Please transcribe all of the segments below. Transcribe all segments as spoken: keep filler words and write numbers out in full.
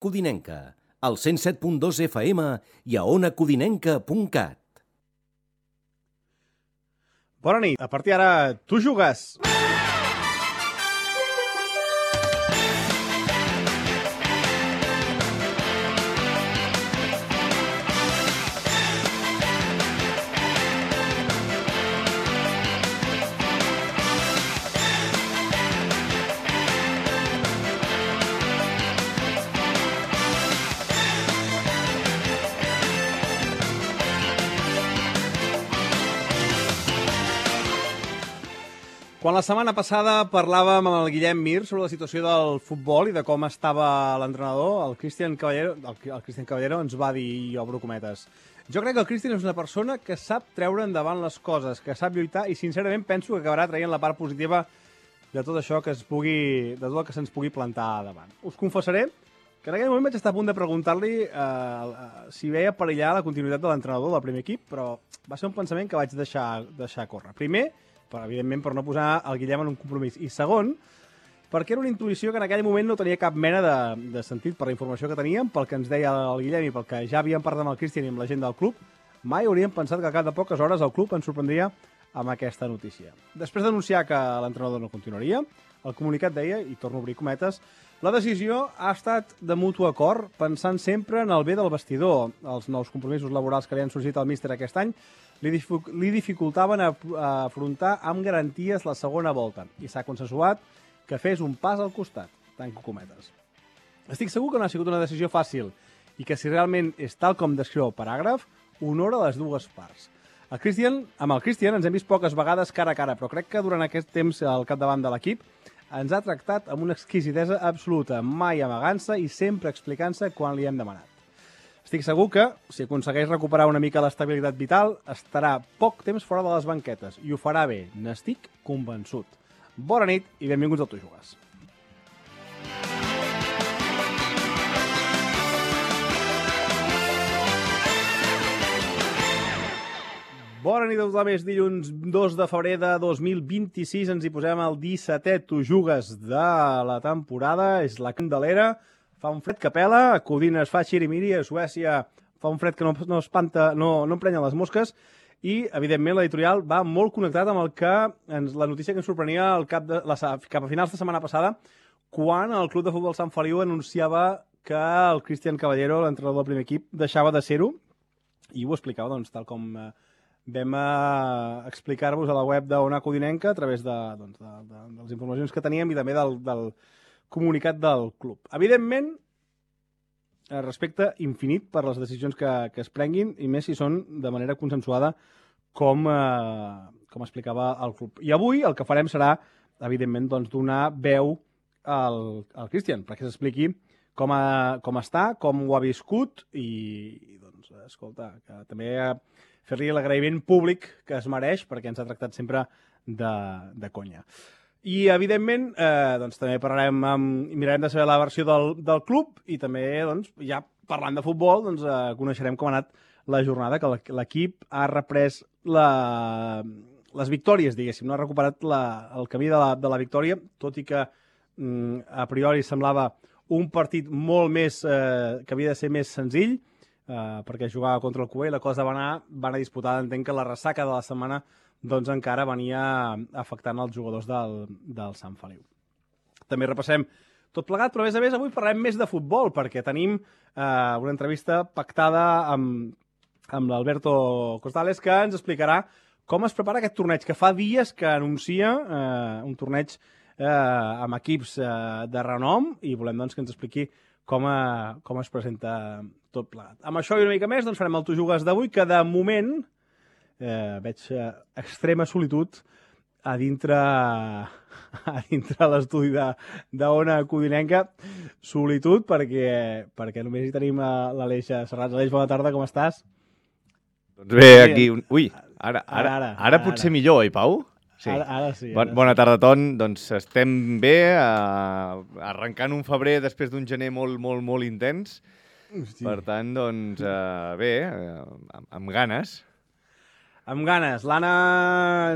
Codinenca, al cent set punt dos F M i a ona codinenca punt cat. Bona nit. A partir d'ara, tu jugues. Quan la setmana passada parlàvem amb el Guillem Mir sobre la situació del futbol i de com estava l'entrenador, el Cristian Caballero, el, el Cristian Caballero ens va dir, i obro cometes, jo crec que el Cristian és una persona que sap treure endavant les coses, que sap lluitar i sincerament penso que acabarà traient la part positiva de tot això que es pugui, de tot el que se'ns pugui plantar davant. Us confessaré que en aquell moment vaig estar a punt de preguntar-li eh, eh, si veia perillar la continuïtat de l'entrenador del primer equip, però va ser un pensament que vaig deixar, deixar córrer. Primer, però, evidentment, per no posar el Guillem en un compromís. I segon, perquè era una intuïció que en aquell moment no tenia cap mena de, de sentit per la informació que teníem, pel que ens deia el Guillem i pel que ja havíem parlat amb el Cristian i amb la gent del club, mai hauríem pensat que al cap de poques hores el club ens sorprendria amb aquesta notícia. Després d'anunciar que l'entrenador no continuaria, el comunicat deia, i torno a obrir cometes, la decisió ha estat de mutu acord, pensant sempre en el bé del vestidor. Els nous compromisos laborals que li han sorgit al míster aquest any li, dific li dificultaven a, a afrontar amb garanties la segona volta i s'ha consensuat que fes un pas al costat, tanco cometes. Estic segur que no ha sigut una decisió fàcil i que si realment és tal com descriu el paràgraf, honora les dues parts. El Cristian, amb el Cristian ens hem vist poques vegades cara a cara, però crec que durant aquest temps al capdavant de l'equip ens ha tractat amb una exquisidesa absoluta, mai amagant-se i sempre explicant-se quan li hem demanat. Estic segur que, si aconsegueix recuperar una mica l'estabilitat vital, estarà poc temps fora de les banquetes i ho farà bé, n'estic convençut. Bona nit i benvinguts al Tu Jugues. Bona nit a tothom, és dilluns dos de febrer de dos mil vint-i-sis, ens hi posem al dissetè Tu Jugues de la temporada, és la Candelera, fa un fred que pela, a Codines fa xirimiri, a Suècia fa un fred que no, no espanta, no, no emprenya les mosques, i, evidentment, l'editorial va molt connectat amb el que ens, la notícia que ens sorprenia al cap, de, la, cap a finals de setmana passada, quan el Club de Futbol Sant Feliu anunciava que el Cristian Caballero, l'entrenador del primer equip, deixava de ser-ho, i ho explicava, doncs, tal com eh, vam eh, explicar-vos a la web d'Ona Codinenca a través de, doncs, de, de, de les informacions que teníem i també del, del comunicat del club. Evidentment, respecte infinit per les decisions que, que es prenguin i més si són de manera consensuada com, eh, com explicava el club. I avui el que farem serà, evidentment, doncs, donar veu al, al Cristian perquè s'expliqui com, a, com està, com ho ha viscut i, i doncs, escolta, que també fer-li l'agraïment públic que es mereix perquè ens ha tractat sempre de, de conya. I, evidentment, eh, doncs, també parlarem amb, i mirarem de saber la versió del, del club i també, doncs, ja parlant de futbol, doncs, eh, coneixerem com ha anat la jornada, que l'equip ha reprès la, les victòries, diguéssim, no ha recuperat la, el camí de la, de la victòria, tot i que mm, a priori semblava un partit molt més, eh, que havia de ser més senzill, eh, perquè jugava contra el Cuber i la cosa va anar, va anar disputada. Entenc que la ressaca de la setmana doncs encara venia afectant els jugadors del, del Sant Feliu. També repassem tot plegat, però a més a més avui parlarem més de futbol, perquè tenim eh, una entrevista pactada amb, amb l'Alberto Costales, que ens explicarà com es prepara aquest torneig, que fa dies que anuncia eh, un torneig eh, amb equips eh, de renom, i volem doncs, que ens expliqui com, eh, com es presenta tot plegat. Amb això i una mica més doncs, farem el Tu Jugues d'avui, que de moment Eh, veig eh, extrema solitud a dintre, a dintre l'estudi d'Ona Codinenca. Solitud perquè, perquè només hi tenim l'Aleix Serrats. Aleix, bona tarda, com estàs? Doncs bé, aquí... Ui, ara, ara, ara, ara potser ara. Millor, oi, Pau? Sí. Ara, ara sí. Bon, ara bona sí. tarda a tots. Doncs estem bé, eh, arrencant un febrer després d'un gener molt, molt, molt intens. Sí. Per tant, doncs, eh, bé, eh, amb, amb ganes. amb ganes. L'Anna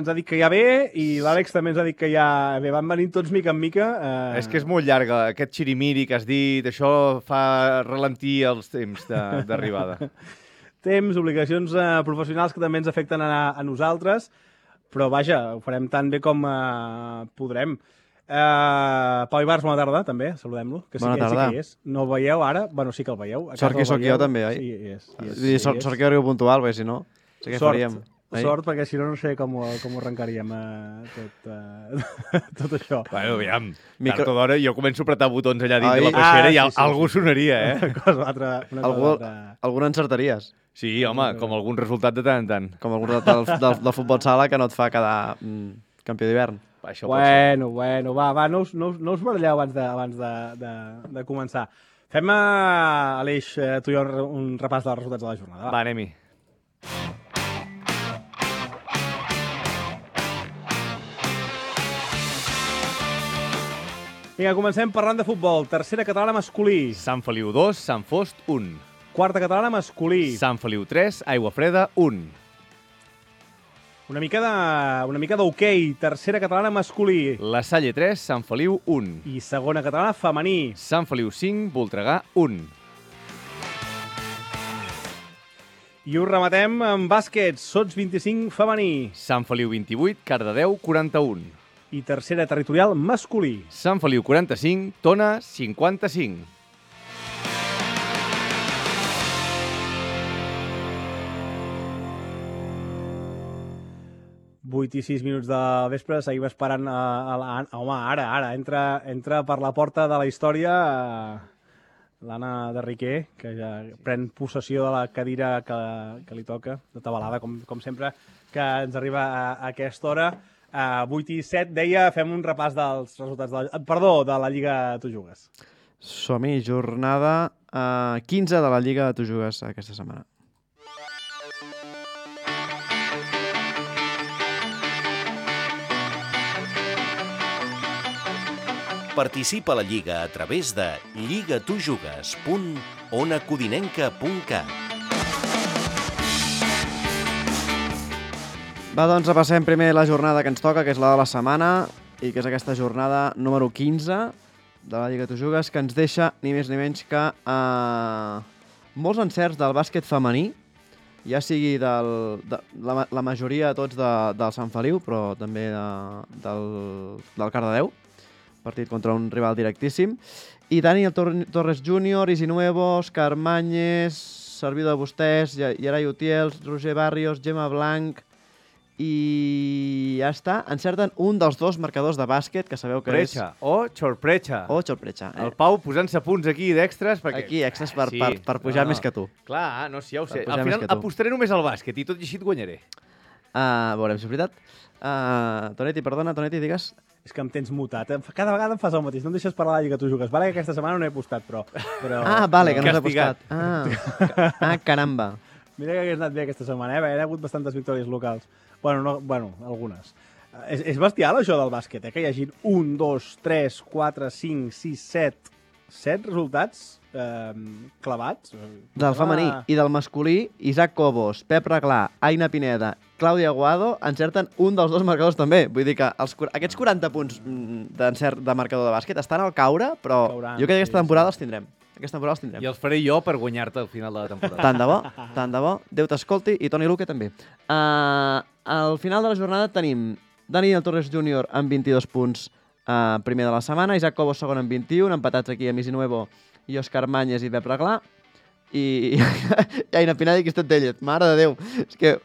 ens ha dit que ja ve i l'Àlex també ens ha dit que ja ve. Van venint tots mica en mica. Eh... És que és molt llarga. Aquest xirimiri que has dit, això fa ralentir els temps d'arribada. Temps, obligacions eh, professionals que també ens afecten a, a nosaltres, però vaja, ho farem tan bé com eh, podrem. Uh, Pau Ibars, bona tarda, també, saludem-lo. Que sí, bona que, tarda. Sí que hi és. No el veieu ara? Bueno, sí que el veieu. Sort que sóc jo també, oi? Sí, hi és. Hi és, I sort, hi és. sort que arribo puntual, perquè si no, sé què sort, faríem. Oi? Sort, perquè si no, no sé com ho, com ho arrencaríem uh, tot, uh, tot això. Bueno, aviam, Micro... tard o d'hora jo començo a apretar botons allà dins Ai, de la peixera ah, i sí, sí, algú sí. sonaria, eh? Una cosa altra. Una Algú, cosa altra. alguna encertaries. Sí, home, com algun resultat de tant en tant. Com algun del, del, del futbol sala que no et fa quedar mm, campió d'hivern. Això Bueno, bueno, va, va, no us, no us, no us baralleu abans de, abans de, de, de començar. Fem, uh, Aleix, uh, tu i jo un repàs dels resultats de la jornada. Va, va anem-hi. Vinga, comencem parlant de futbol. Tercera catalana masculí. Sant Feliu dos, Sant Fost un. Quarta catalana masculí. Sant Feliu tres, Aigua Freda un. Una mica de, una mica d'hoquei. Tercera catalana masculí. La Salle tres, Sant Feliu un. I segona catalana femení. Sant Feliu cinc, Voltregà un. I ho rematem amb bàsquet. Sots vint-i-cinc femení. Sant Feliu vint-i-vuit, Cardedeu quaranta-un. I tercera territorial masculí. Sant Feliu quaranta-cinc, Tona cinquanta-cinc. vuit i sis minuts de vespre, seguim esperant a, a la... Home, ara, ara, entra, entra per la porta de la història uh, l'Anna de Riquer, que ja pren possessió de la cadira que, que li toca, de tabalada, com, com sempre, que ens arriba a, a aquesta hora. Uh, vuit i set, deia, fem un repàs dels resultats de la... Perdó, de la Lliga Tu Jugues. Som-hi, jornada uh, quinze de la Lliga Tu Jugues aquesta setmana. Participa a la Lliga a través de lligatujugues punt ona codinenca punt cat. Va, doncs repassem primer la jornada que ens toca, que és la de la setmana, i que és aquesta jornada número quinze de la Lliga Tu Jugues, que ens deixa ni més ni menys que eh, molts encerts del bàsquet femení, ja sigui del, de, la, la majoria tots de, del Sant Feliu, però també de, del, del Cardedeu, partit contra un rival directíssim. I Daniel Torres júnior, Isi Nuevo, Òscar Mañez, Serviu de Vostès, Gerai Utiels, Roger Barrios, Gemma Blanc, i ja està. Encerten un dels dos marcadors de bàsquet, que sabeu que Precha és... o Xorprecha. O Xorprecha. El Pau posant-se punts aquí d'extres perquè... Aquí, extras per, sí. per, per pujar no, no. més que tu. Clar, no, sí, ja ho sé. Per pujar Al més final que tu. apostaré només al bàsquet i tot i així et guanyaré. Uh, veurem si és veritat. Uh, Tonetti, perdona, Tonetti, digues... És que em tens mutat. Cada vegada em fas el mateix. No em deixes parlar de la Lliga Tu Jugues. Vale que aquesta setmana no he apostat, però... però Ah, vale, que no s'ha Castigat. apostat. Ah, ah, caramba. Mira que hagués anat bé aquesta setmana, eh? Hi ha hagut bastantes victòries locals. Bueno, no, bueno algunes. És, és bestial, això del bàsquet, eh? Que hi hagi un, dos, tres, quatre, cinc, sis, set... set resultats eh, clavats. Del femení i del masculí, Isaac Cobos, Pep Reglà, Aina Pineda, Clàudia Aguado encerten un dels dos marcadors també. Vull dir que els, aquests quaranta punts d'encert de marcador de bàsquet estan al caure, però Cauran, jo crec que aquesta sí, temporada sí. els tindrem. Aquesta temporada els tindrem. I els faré jo per guanyar-te al final de la temporada. Tant de bo, tant de bo. Déu t'escolti i Toni Luque també. Uh, al final de la jornada tenim Daniel Torres júnior amb vint-i-dos punts uh, primer de la setmana, Isaac Cobos segon amb vint-i-un, empatats aquí amb Isi Nuevo i Òscar Mañez i Pep Reglà. I, i Aina Pineda i Cristet Tellez. Mare de Déu. És que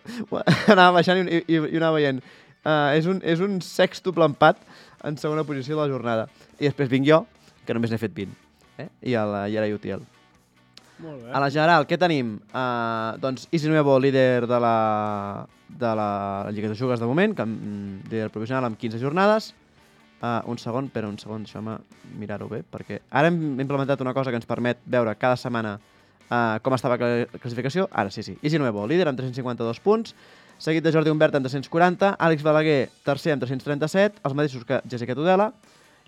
anava baixant i, i, i anava veient. Uh, és, un, és un sextuple empat en segona posició de la jornada. I després vinc jo, que només n'he fet vint. Eh? I el Gerai Utiel. Molt bé. A la general, què tenim? Uh, doncs Isi Nuevo, líder de la, de la Lliga de Jugues de moment, que, mm, líder provisional amb quinze jornades. Uh, un segon, però un segon, deixeu-me mirar-ho bé, perquè ara hem implementat una cosa que ens permet veure cada setmana uh, com estava la classificació. Ara sí, sí. Isi Nuevo, líder amb tres-cents cinquanta-dos punts, seguit de Jordi Humbert amb tres-cents quaranta, Àlex Balaguer, tercer amb tres-cents trenta-set, els mateixos que Jessica Tudela,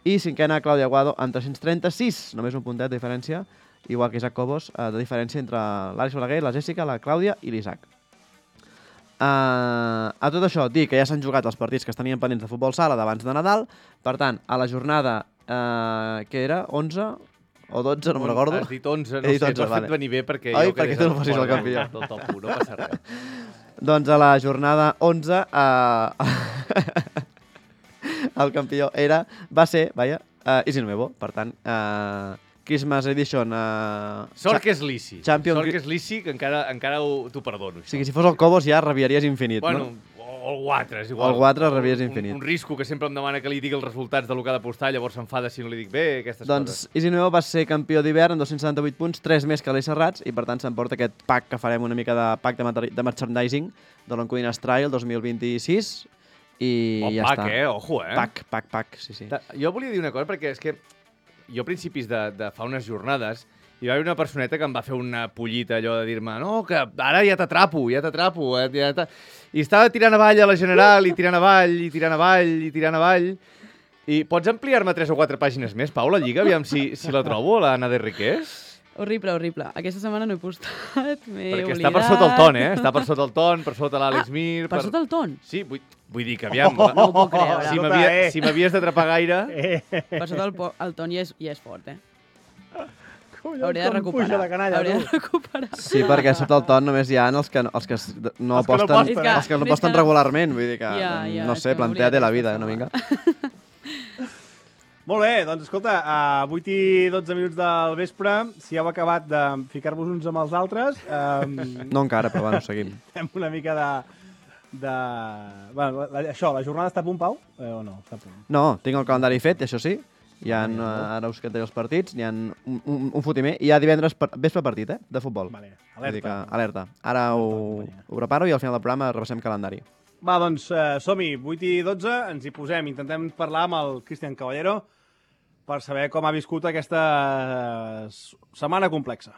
i cinquena Clàudia Aguado amb tres-cents trenta-sis, només un puntet de diferència, igual que Isaac Cobos, uh, de diferència entre l'Àlex Balaguer, la Jessica, la Clàudia i l'Isaac. Uh, a tot això, dir que ja s'han jugat els partits que es tenien pendents de futbol sala d'abans de Nadal. Per tant, a la jornada, uh, què era? onze o dotze, no me'n recordo. Has dit onze, no He dit sé, onze, t'ho has vale. fet venir bé perquè Oi, jo perquè quedés tu no fossis el fora campió. del top u, no passa res. Doncs a la jornada onze, uh, el campió era, va ser, vaja, uh, Easy Nuevo. Per tant, uh, Christmas Edition... Uh, Sort que és Lissi. Champion... Sort que és Lissi, que encara, encara ho- t'ho perdono. O sigui, si fos el Cobos ja rabiaries infinit, Bueno, no? o el Guatre, és O igual. el Guatre rabies infinit. Un, un risco que sempre em demana que li digui els resultats del que ha d'apostar, llavors s'enfada si no li dic bé, aquestes Doncs coses. Easy Nuevo va ser campió d'hivern amb dos-cents setanta-vuit punts, tres més que l'Eix Serrats, i per tant s'emporta aquest pack que farem una mica de pack de, materi- de merchandising de l'Encodines Trail dos mil vint-i-sis, i Bon ja pack, està. eh? Ojo, eh? Pack, pack, pack, sí, sí. Ta- Jo volia dir una cosa, perquè és que jo a principis de, de fa unes jornades hi va haver una personeta que em va fer una pollita allò de dir-me no, que ara ja t'atrapo, ja t'atrapo. Eh, ja t'a-". I estava tirant avall a la General, i tirant avall, i tirant avall, i tirant avall. I pots ampliar-me tres o quatre pàgines més, Pau, la Lliga? Aviam si, si la trobo, l'Anna de Riqués. Horrible, horrible. Aquesta setmana no he postat, m'he Perquè oblidat. està per sota el ton, eh? Està per sota el ton, per sota l'Àlex Ah, Mir... Per sota el ton? Sí, vull, vull dir que aviam... Oh, no ho puc creure. Si Escolta, m'havia- eh. si m'havies d'atrapar gaire... Per sota el, po- el ton ja és, ja és fort, eh? Collons, Hauria de com recuperar. puja la canalla, Hauria tu. de recuperar. Sí, perquè sota el ton només hi ha els que, els que es- no Els que no aposten, aposten, eh? els que no És aposten que- regularment, vull dir que, Ja, ja, no és sé, que m'he plantea't la oblidat vida, aquesta una mica. Molt bé, doncs escolta, a vuit i dotze minuts del vespre, si heu acabat de ficar-vos uns amb els altres, eh, No encara, però bueno, seguim. fem una mica de... de... Bueno, la, això, la jornada està a punt, Pau? Eh, o no? Està a punt. No, tinc el calendari fet, això sí. Hi ha, uh, ara us cantaré els partits, hi ha un, un, un fotimer. I hi ha divendres per, vespre partit, eh?, de futbol. Vale, Vull dir que, alerta. alerta. Ara ho, ho preparo i al final del programa repassem calendari. Va, doncs eh, som-hi, vuit i dotze, ens hi posem. Intentem parlar amb el Cristian Caballero per saber com ha viscut aquesta eh, setmana complexa.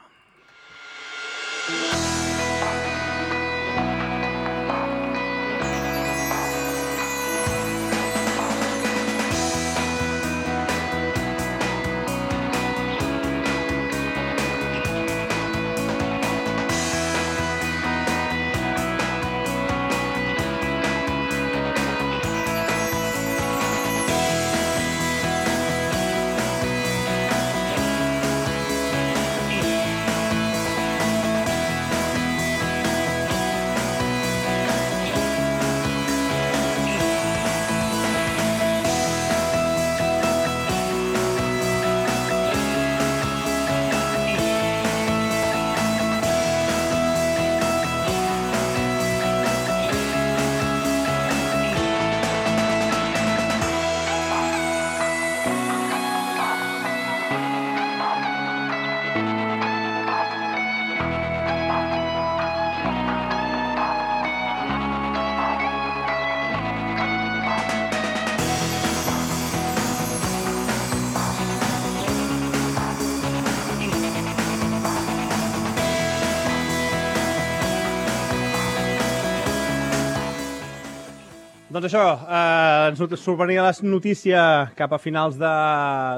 Doncs això, eh, ens not- sorprenia la notícia cap a finals de,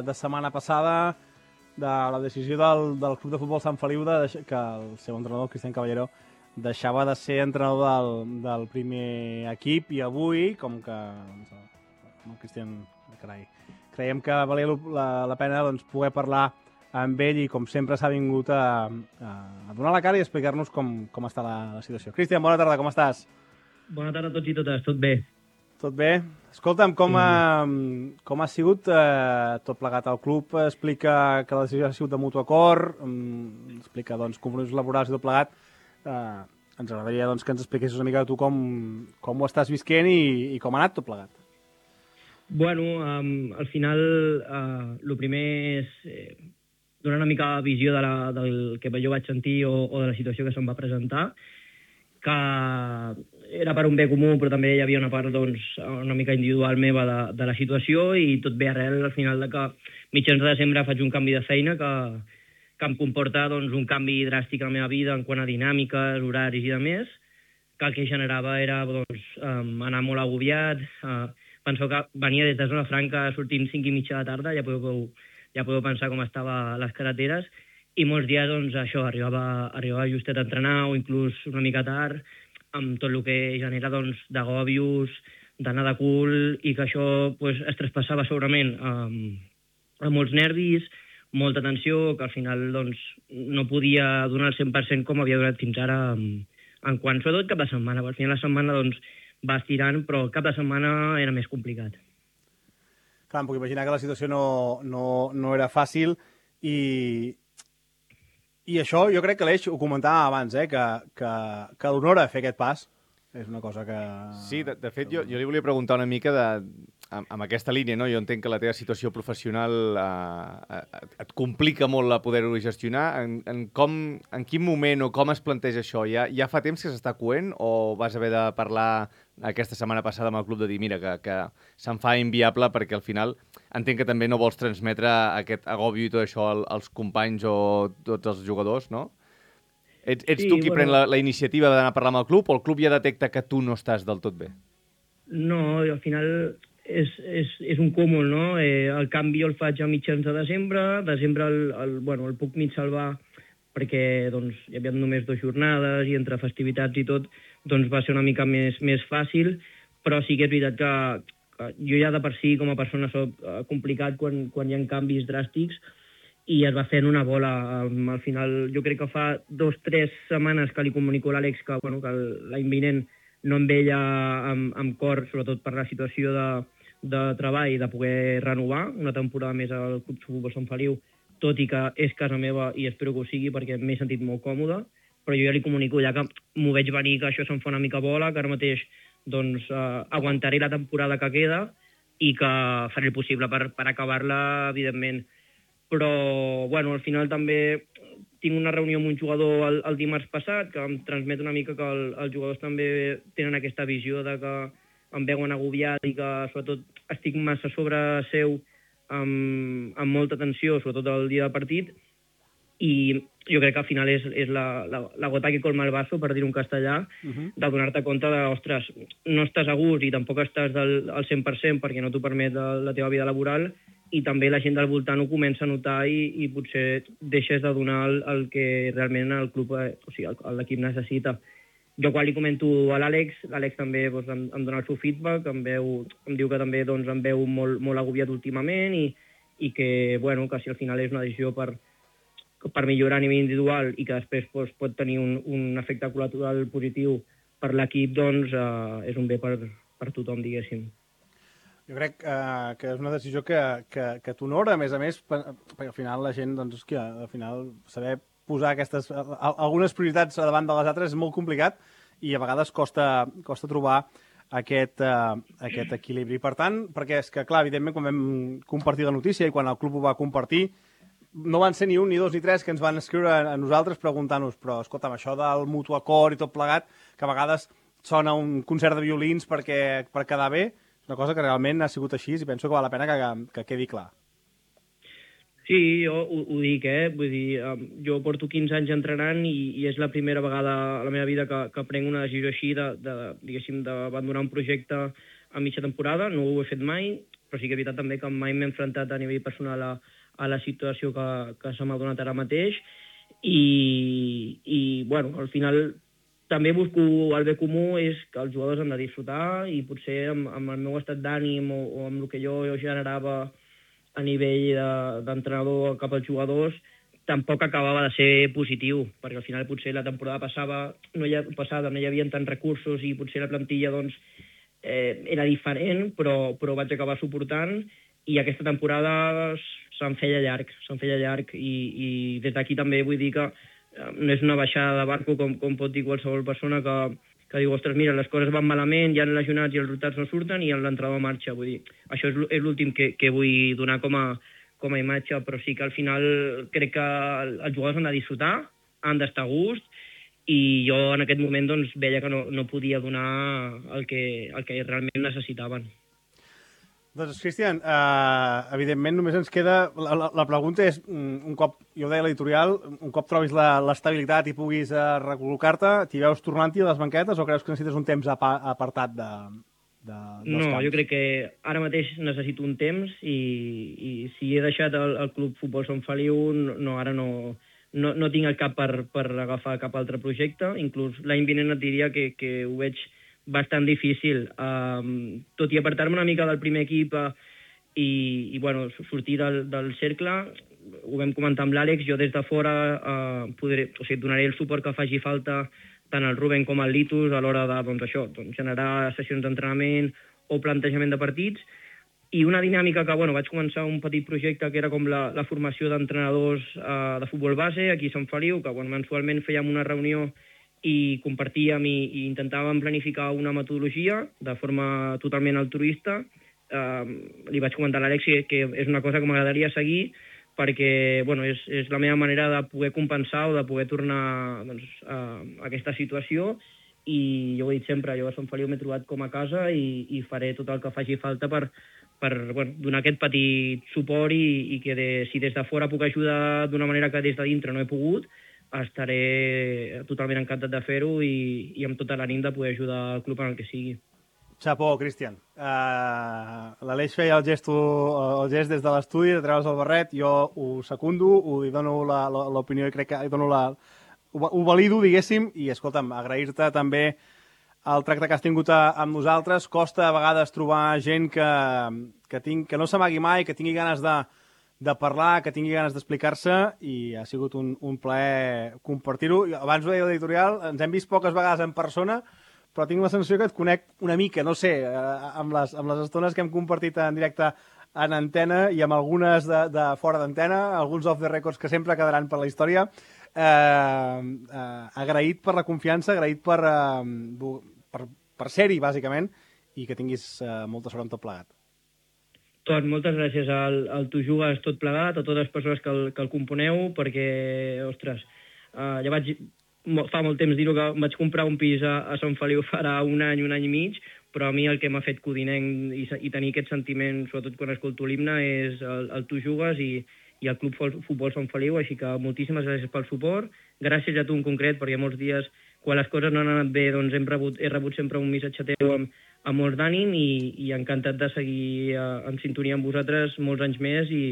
de setmana passada de la decisió del, del Club de Futbol Sant Feliu de deix- que el seu entrenador, Cristian Caballero, deixava de ser entrenador del, del primer equip i avui, com que doncs, el, el Cristian, carai, creiem que valia la, la pena doncs, poder parlar amb ell i com sempre s'ha vingut a, a, a donar la cara i explicar-nos com, com està la, la situació. Cristian, bona tarda, com estàs? Bona tarda a tots i totes, tot bé. Tot bé? Escolta'm, com ha, com ha sigut eh, tot plegat al club? Explica que la decisió ha sigut de mutu acord, mm, explica doncs, compromisos laborals i tot plegat. Eh, ens agradaria doncs, que ens expliquessis una mica tu com, com ho estàs visquent i, i com ha anat tot plegat. Bueno, um, al final, uh, el primer és eh, donar una mica de visió de la, del que jo vaig sentir o, o de la situació que se'm va presentar, que era per un bé comú, però també hi havia una part doncs, una mica individual meva de, de la situació i tot ve arrel al final de que mitjans de desembre faig un canvi de feina que, que em comporta doncs, un canvi dràstic a la meva vida en quant a dinàmiques, horaris i de més, que el que generava era doncs, um, anar molt agobiat. Uh, penseu que venia des de Zona Franca sortint cinc i mitja de tarda, ja podeu, ja podeu pensar com estava a les carreteres, i molts dies doncs, això arribava, arribava justet a entrenar o inclús una mica tard, amb tot el que genera doncs, d'agòbios, d'anar de cul, i que això pues, es traspassava segurament amb, amb molts nervis, molta tensió, que al final doncs, no podia donar el cent per cent com havia donat fins ara en, en quant, sobretot cap de setmana. Al final la setmana doncs, va estirant, però el cap de setmana era més complicat. Clar, em puc imaginar que la situació no, no, no era fàcil i, i això jo crec que l'Eix ho comentava abans, eh, que, que, que l'honora fer aquest pas. És una cosa que... Sí, de, de fet, jo, jo li volia preguntar una mica de, amb, amb aquesta línia, no? Jo entenc que la teva situació professional eh, et complica molt la poder-ho gestionar. En, en, com, en quin moment o com es planteja això? Ja, ja fa temps que s'està coent o vas haver de parlar aquesta setmana passada amb el club de dir mira, que, que se'n fa inviable perquè al final entenc que també no vols transmetre aquest agobi i tot això als companys o tots els jugadors, no? Ets, ets sí, tu qui bueno, pren la, la iniciativa d'anar a parlar amb el club o el club ja detecta que tu no estàs del tot bé? No, al final és, és, és un cúmul, no? Eh, el canvi el faig a mitjans de desembre, desembre el, el, bueno, el puc mig salvar perquè doncs, hi havia només dues jornades i entre festivitats i tot doncs, va ser una mica més, més fàcil, però sí que és veritat que, que jo ja de per si com a persona soc uh, complicat quan, quan hi ha canvis dràstics, i es va fent una bola. Al final, jo crec que fa dos o tres setmanes que li comunico a l'Àlex que, bueno, que l'any vinent no em veia amb, amb cor, sobretot per la situació de, de treball, de poder renovar una temporada més al Club Futbol Sant Feliu, tot i que és casa meva i espero que ho sigui perquè m'he sentit molt còmode, però jo ja li comunico ja que m'ho veig venir, que això se'm fa una mica bola, que ara mateix doncs, eh, aguantaré la temporada que queda i que faré el possible per, per acabar-la, evidentment. Però, bueno, al final també tinc una reunió amb un jugador el, el dimarts passat que em transmet una mica que el, els jugadors també tenen aquesta visió de que em veuen agobiat i que, sobretot, estic massa sobre seu amb, amb molta tensió, sobretot el dia del partit, i jo crec que al final és, és la, la, la gota que colma el vaso, per dir-ho en castellà, uh -huh. de donar-te compte de, ostres, no estàs a gust i tampoc estàs del, al cent per cent perquè no t'ho permet la, la teva vida laboral, i també la gent del voltant ho comença a notar i, i potser deixes de donar el, el que realment el club, eh, o sigui, l'equip necessita. Jo quan li comento a l'Àlex, l'Àlex també doncs, em, em dona el seu feedback, em, veu, em diu que també doncs, em veu molt, molt agobiat últimament i, i que, bueno, que si al final és una decisió per, per millorar a nivell individual i que després doncs, pot tenir un, un efecte col·lateral positiu per l'equip, doncs eh, és un bé per, per tothom, diguéssim. Jo crec uh, que és una decisió que, que, que t'honora, a més a més, perquè al final la gent, doncs, que al final saber posar aquestes, algunes prioritats davant de les altres és molt complicat i a vegades costa, costa trobar aquest, uh, aquest equilibri. Per tant, perquè és que, clar, evidentment, quan vam compartir la notícia i quan el club ho va compartir, no van ser ni un, ni dos, ni tres que ens van escriure a nosaltres preguntant-nos, però, escolta'm, això del mutu acord i tot plegat, que a vegades sona un concert de violins perquè, per quedar bé, una cosa que realment ha sigut així i penso que val la pena que, que quedi clar. Sí, jo ho, ho dic, eh? Vull dir, jo porto quinze anys entrenant i, i és la primera vegada a la meva vida que, que prenc una decisió així de, de, diguéssim, d'abandonar un projecte a mitja temporada. No ho he fet mai, però sí que és veritat també que mai m'he enfrontat a nivell personal a, a la situació que, que se m'ha donat ara mateix i, i, bueno, al final també busco el bé comú, és que els jugadors han de disfrutar i potser amb, amb el meu estat d'ànim o, o amb el que jo, jo generava a nivell d'entrenador de, cap als jugadors tampoc acabava de ser positiu, perquè al final potser la temporada passava, no hi ha, passada no hi havia tants recursos i potser la plantilla doncs, eh, era diferent, però, però vaig acabar suportant i aquesta temporada se'm feia llarg, se'm feia llarg i, i des d'aquí també vull dir que no és una baixada de barco com, com pot dir qualsevol persona que, que diu, ostres, mira, les coses van malament, hi ha lesionats i els resultats no surten i l'entrenador marxa. Vull dir, això és l'últim que, que vull donar com a, com a imatge, però sí que al final crec que els jugadors han de disfrutar, han d'estar a gust i jo en aquest moment doncs, veia que no, no podia donar el que, el que realment necessitaven. Doncs, Cristian, eh, evidentment només ens queda... La, la, la pregunta és, un cop, jo ho deia a l'editorial, un cop trobis l'estabilitat i puguis eh, recol·locar-te, t'hi veus tornant-hi a les banquetes o creus que necessites un temps apa, apartat de, de, dels no, camps? Jo crec que ara mateix necessito un temps i, i si he deixat el, el Club Futbol Sant Feliu, no, ara no, no, no tinc el cap per, per agafar cap altre projecte. Inclús l'any vinent et diria que, que ho veig bastant difícil. Um, tot i apartar-me una mica del primer equip uh, i, i bueno, sortir del, del cercle, ho vam comentar amb l'Àlex, jo des de fora uh, podré, o sigui, donaré el suport que faci falta tant al Ruben com al Litus a l'hora de doncs, això, doncs, generar sessions d'entrenament o plantejament de partits. I una dinàmica que, bueno, vaig començar un petit projecte que era com la, la formació d'entrenadors uh, de futbol base aquí a Sant Feliu, que bueno, mensualment fèiem una reunió i compartíem i, i intentàvem planificar una metodologia de forma totalment altruista. Uh, li vaig comentar a l'Àlex que, que és una cosa que m'agradaria seguir perquè bueno, és, és la meva manera de poder compensar o de poder tornar doncs, a, a aquesta situació, i jo ho he dit sempre, jo a Sant Feliu m'he trobat com a casa i, i faré tot el que faci falta per, per bueno, donar aquest petit suport i, i que de, si des de fora puc ajudar d'una manera que des de dintre no he pogut, estaré totalment encantat de fer-ho i, i amb tota l'ànim de poder ajudar el club en el que sigui. Xapó, Cristian. Uh, L'Aleix feia el, gesto, el gest des de l'estudi de treure's el barret, jo ho secundo, ho hi dono l'opinió i crec que hi dono la, ho, ho valido, diguéssim, i escolta'm, agrair-te també el tracte que has tingut a, amb nosaltres. Costa a vegades trobar gent que, que, tinc, que no s'amagui mai, que tingui ganes de, de parlar, que tingui ganes d'explicar-se, i ha sigut un, un plaer compartir-ho. Abans ho deia l'editorial, ens hem vist poques vegades en persona, però tinc la sensació que et conec una mica, no sé, amb les, amb les estones que hem compartit en directe en antena i amb algunes de, de fora d'antena, alguns off the records que sempre quedaran per la història. Eh, eh, agraït per la confiança, agraït per, eh, per, per ser-hi, bàsicament, i que tinguis eh, molta sort amb tot plegat. Tot, moltes gràcies al, al Tu Jugues Tot Plegat, a totes les persones que el, que el componeu, perquè, ostres, eh, ja vaig... fa molt temps dir-ho que vaig comprar un pis a, a Sant Feliu farà un any, un any i mig, però a mi el que m'ha fet codinenc i, i tenir aquest sentiment, sobretot quan escolto l'himne, és el, el Tu Jugues i, i el Club Futbol Sant Feliu, així que moltíssimes gràcies pel suport, gràcies a tu en concret, perquè molts dies, quan les coses no han anat bé, doncs hem rebut, he rebut sempre un missatge teu amb, amb molt d'ànim i, i encantat de seguir uh, en sintonia amb vosaltres molts anys més i,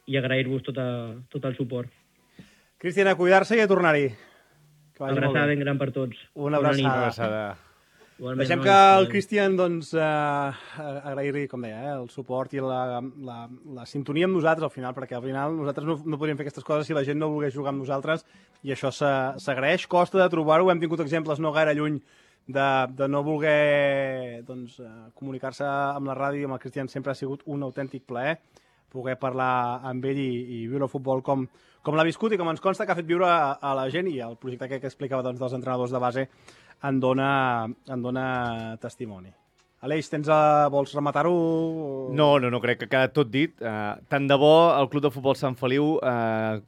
i agrair-vos tot, a, tot el suport. Cristian, a cuidar-se i a tornar-hi. Una abraçada ben gran per tots. Una abraçada. Una abraçada. Igualment, Deixem no, que el Cristian, doncs, eh, agrair-li, com deia, eh, el suport i la, la, la sintonia amb nosaltres al final, perquè al final nosaltres no, no podríem fer aquestes coses si la gent no volgués jugar amb nosaltres, i això s'agraeix. Costa de trobar-ho, hem tingut exemples no gaire lluny de, de no voler doncs, comunicar-se amb la ràdio, amb el Cristian sempre ha sigut un autèntic plaer poder parlar amb ell i, i viure el futbol com, com l'ha viscut i com ens consta que ha fet viure a, a la gent, i el projecte que, que explicava doncs, dels entrenadors de base en dona, en dona testimoni. Aleix, tens a... vols rematar-ho? No, no, no, crec que ha quedat tot dit. Uh, tant de bo el Club de Futbol Sant Feliu uh,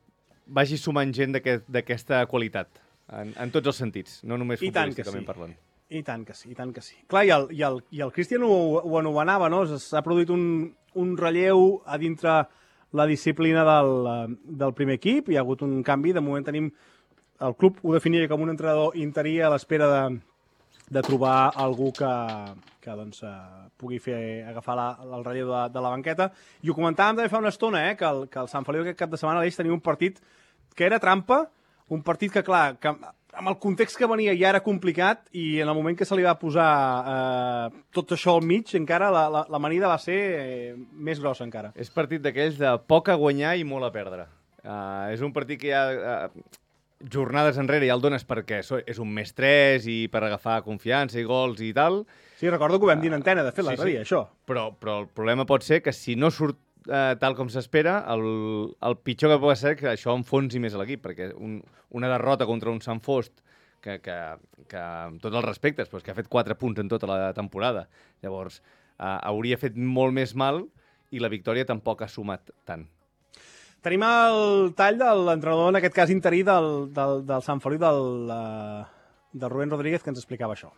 vagi sumant gent d'aquesta qualitat, en, en tots els sentits, no només futbolísticament parlant. I tant que sí, i tant que sí. Clar, i el, i el, i el Cristian ho, ho anomenava, no? S'ha produït un, un relleu a dintre la disciplina del, del primer equip, hi ha hagut un canvi, de moment tenim... El club ho definia com un entrenador interí a l'espera de, de trobar algú que, que doncs, uh, pugui fer, agafar la, el relleu de, de la banqueta. I ho comentàvem també fa una estona, eh, que, el, que el Sant Feliu aquest cap de setmana Aleix tenia un partit que era trampa, un partit que, clar, que amb el context que venia ja era complicat, i en el moment que se li va posar eh, tot això al mig, encara la, la, l'amanida va ser eh, més grossa encara. És partit d'aquells de poc a guanyar i molt a perdre. Uh, és un partit que ja... Uh, jornades enrere ja el dones perquè és un més tres i per agafar confiança i gols i tal. Sí, recordo que ho vam dir en antena, de fet, l'altre dia, això. Però, però el problema pot ser que si no surt eh, tal com s'espera, el, el pitjor que pot ser que això enfonsi més l'equip, perquè un, una derrota contra un Sant Fost, que, que, que amb tots els respectes, doncs, que ha fet quatre punts en tota la temporada, llavors eh, hauria fet molt més mal i la victòria tampoc ha sumat tant. Tenim el tall de l'entrenador, en aquest cas interí, del, del, del Sant Feliu, del, del Rubén Rodríguez, que ens explicava això.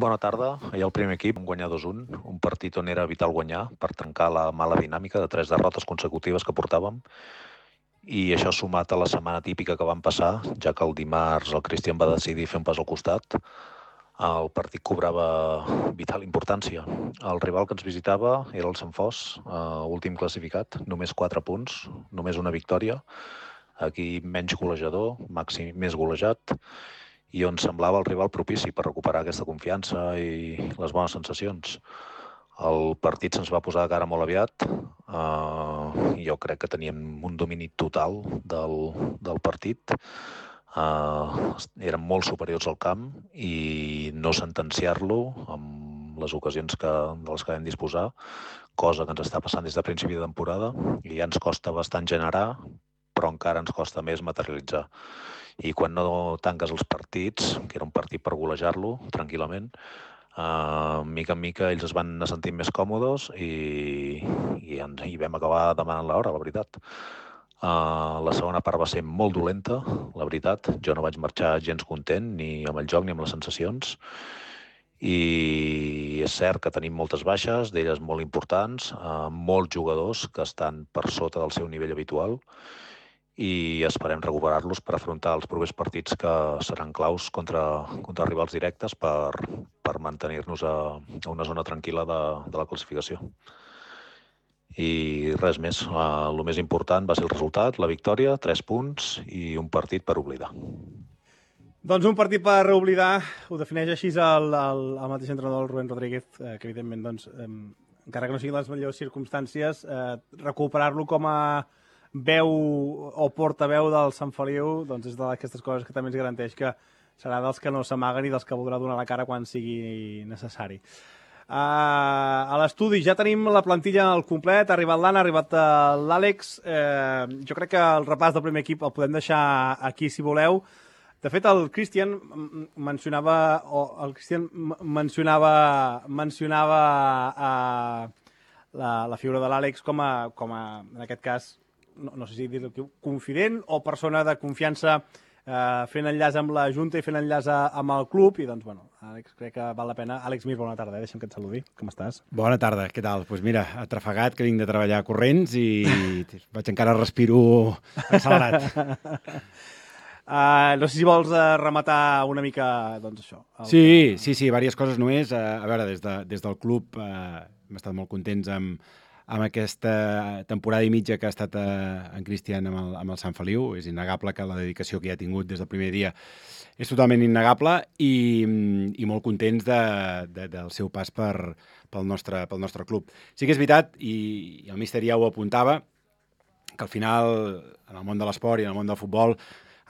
Bona tarda. Ahir el primer equip vam guanyar dos a un, un partit on era vital guanyar per trencar la mala dinàmica de tres derrotes consecutives que portàvem. I això sumat a la setmana típica que vam passar, ja que el dimarts el Cristian va decidir fer un pas al costat, el partit cobrava vital importància. El rival que ens visitava era el Sant Fost, uh, últim classificat, només quatre punts, només una victòria. Aquí menys golejador, màxim més golejat, i on semblava el rival propici per recuperar aquesta confiança i les bones sensacions. El partit se'ns va posar de cara molt aviat. Uh, jo crec que teníem un domini total del, del partit. Uh, eren molt superiors al camp i no sentenciar-lo amb les ocasions que, de les que vam disposar, cosa que ens està passant des de principi de temporada i ja ens costa bastant generar, però encara ens costa més materialitzar. I quan no tanques els partits, que era un partit per golejar-lo tranquil·lament, Uh, mica en mica ells es van anar sentint més còmodes i, i, ens, i vam acabar demanant l'hora, la veritat. Uh, la segona part va ser molt dolenta, la veritat. Jo no vaig marxar gens content ni amb el joc ni amb les sensacions. I és cert que tenim moltes baixes, d'elles molt importants, uh, molts jugadors que estan per sota del seu nivell habitual, i esperem recuperar-los per afrontar els propers partits que seran claus contra, contra rivals directes per, per mantenir-nos a, a una zona tranquil·la de, de la classificació. I res més. Uh, el més important va ser el resultat, la victòria, tres punts i un partit per oblidar. Doncs un partit per oblidar, ho defineix així el, el, el mateix entrenador, el Rubén Rodríguez, eh, que evidentment, doncs, eh, encara que no siguin les millors circumstàncies, eh, recuperar-lo com a veu o portaveu del Sant Feliu, doncs és d'aquestes coses que també ens garanteix que serà dels que no s'amaguen i dels que voldrà donar la cara quan sigui necessari. Uh, a l'estudi ja tenim la plantilla al complet, ha arribat l'Anna, ha arribat l'Àlex. Uh, jo crec que el repàs del primer equip el podem deixar aquí si voleu. De fet, el Cristian mencionava, o el Cristian mencionava, mencionava uh, la, la figura de l'Àlex com a, com a, en aquest cas, no, no sé si dir-ho, confident o persona de confiança, eh, fent enllaç amb la Junta i fent enllaç amb el club, i doncs, bueno, Àlex, crec que val la pena. Àlex Mir, bona tarda, eh? Deixa'm que et saludi. Com estàs? Bona tarda, què tal? Doncs pues mira, atrafegat, que vinc de treballar corrents i vaig encara respiro accelerat. Uh, no sé si vols uh, rematar una mica, doncs, això. El... Sí, sí, sí, diverses coses només. Uh, a veure, des, de, des del club uh, hem estat molt contents amb amb aquesta temporada i mitja que ha estat eh, en Cristian amb el, amb el Sant Feliu. És innegable que la dedicació que hi ha tingut des del primer dia és totalment innegable i, i molt contents de, de, del seu pas per, pel, nostre, pel nostre club. Sí que és veritat, i, i el míster ja ho apuntava, que al final, en el món de l'esport i en el món del futbol,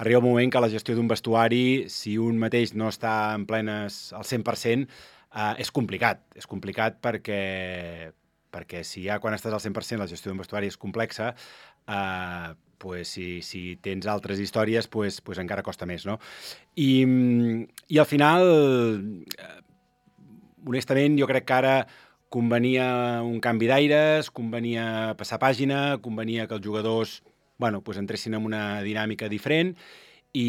arriba un moment que la gestió d'un vestuari, si un mateix no està en plenes al cent per cent, eh, és complicat. És complicat perquè... perquè si ja quan estàs al cent per cent la gestió d'un vestuari és complexa, eh, pues si, si tens altres històries, pues, pues encara costa més, no? I, i al final, eh, honestament, jo crec que ara convenia un canvi d'aires, convenia passar pàgina, convenia que els jugadors, bueno, pues entressin en una dinàmica diferent i,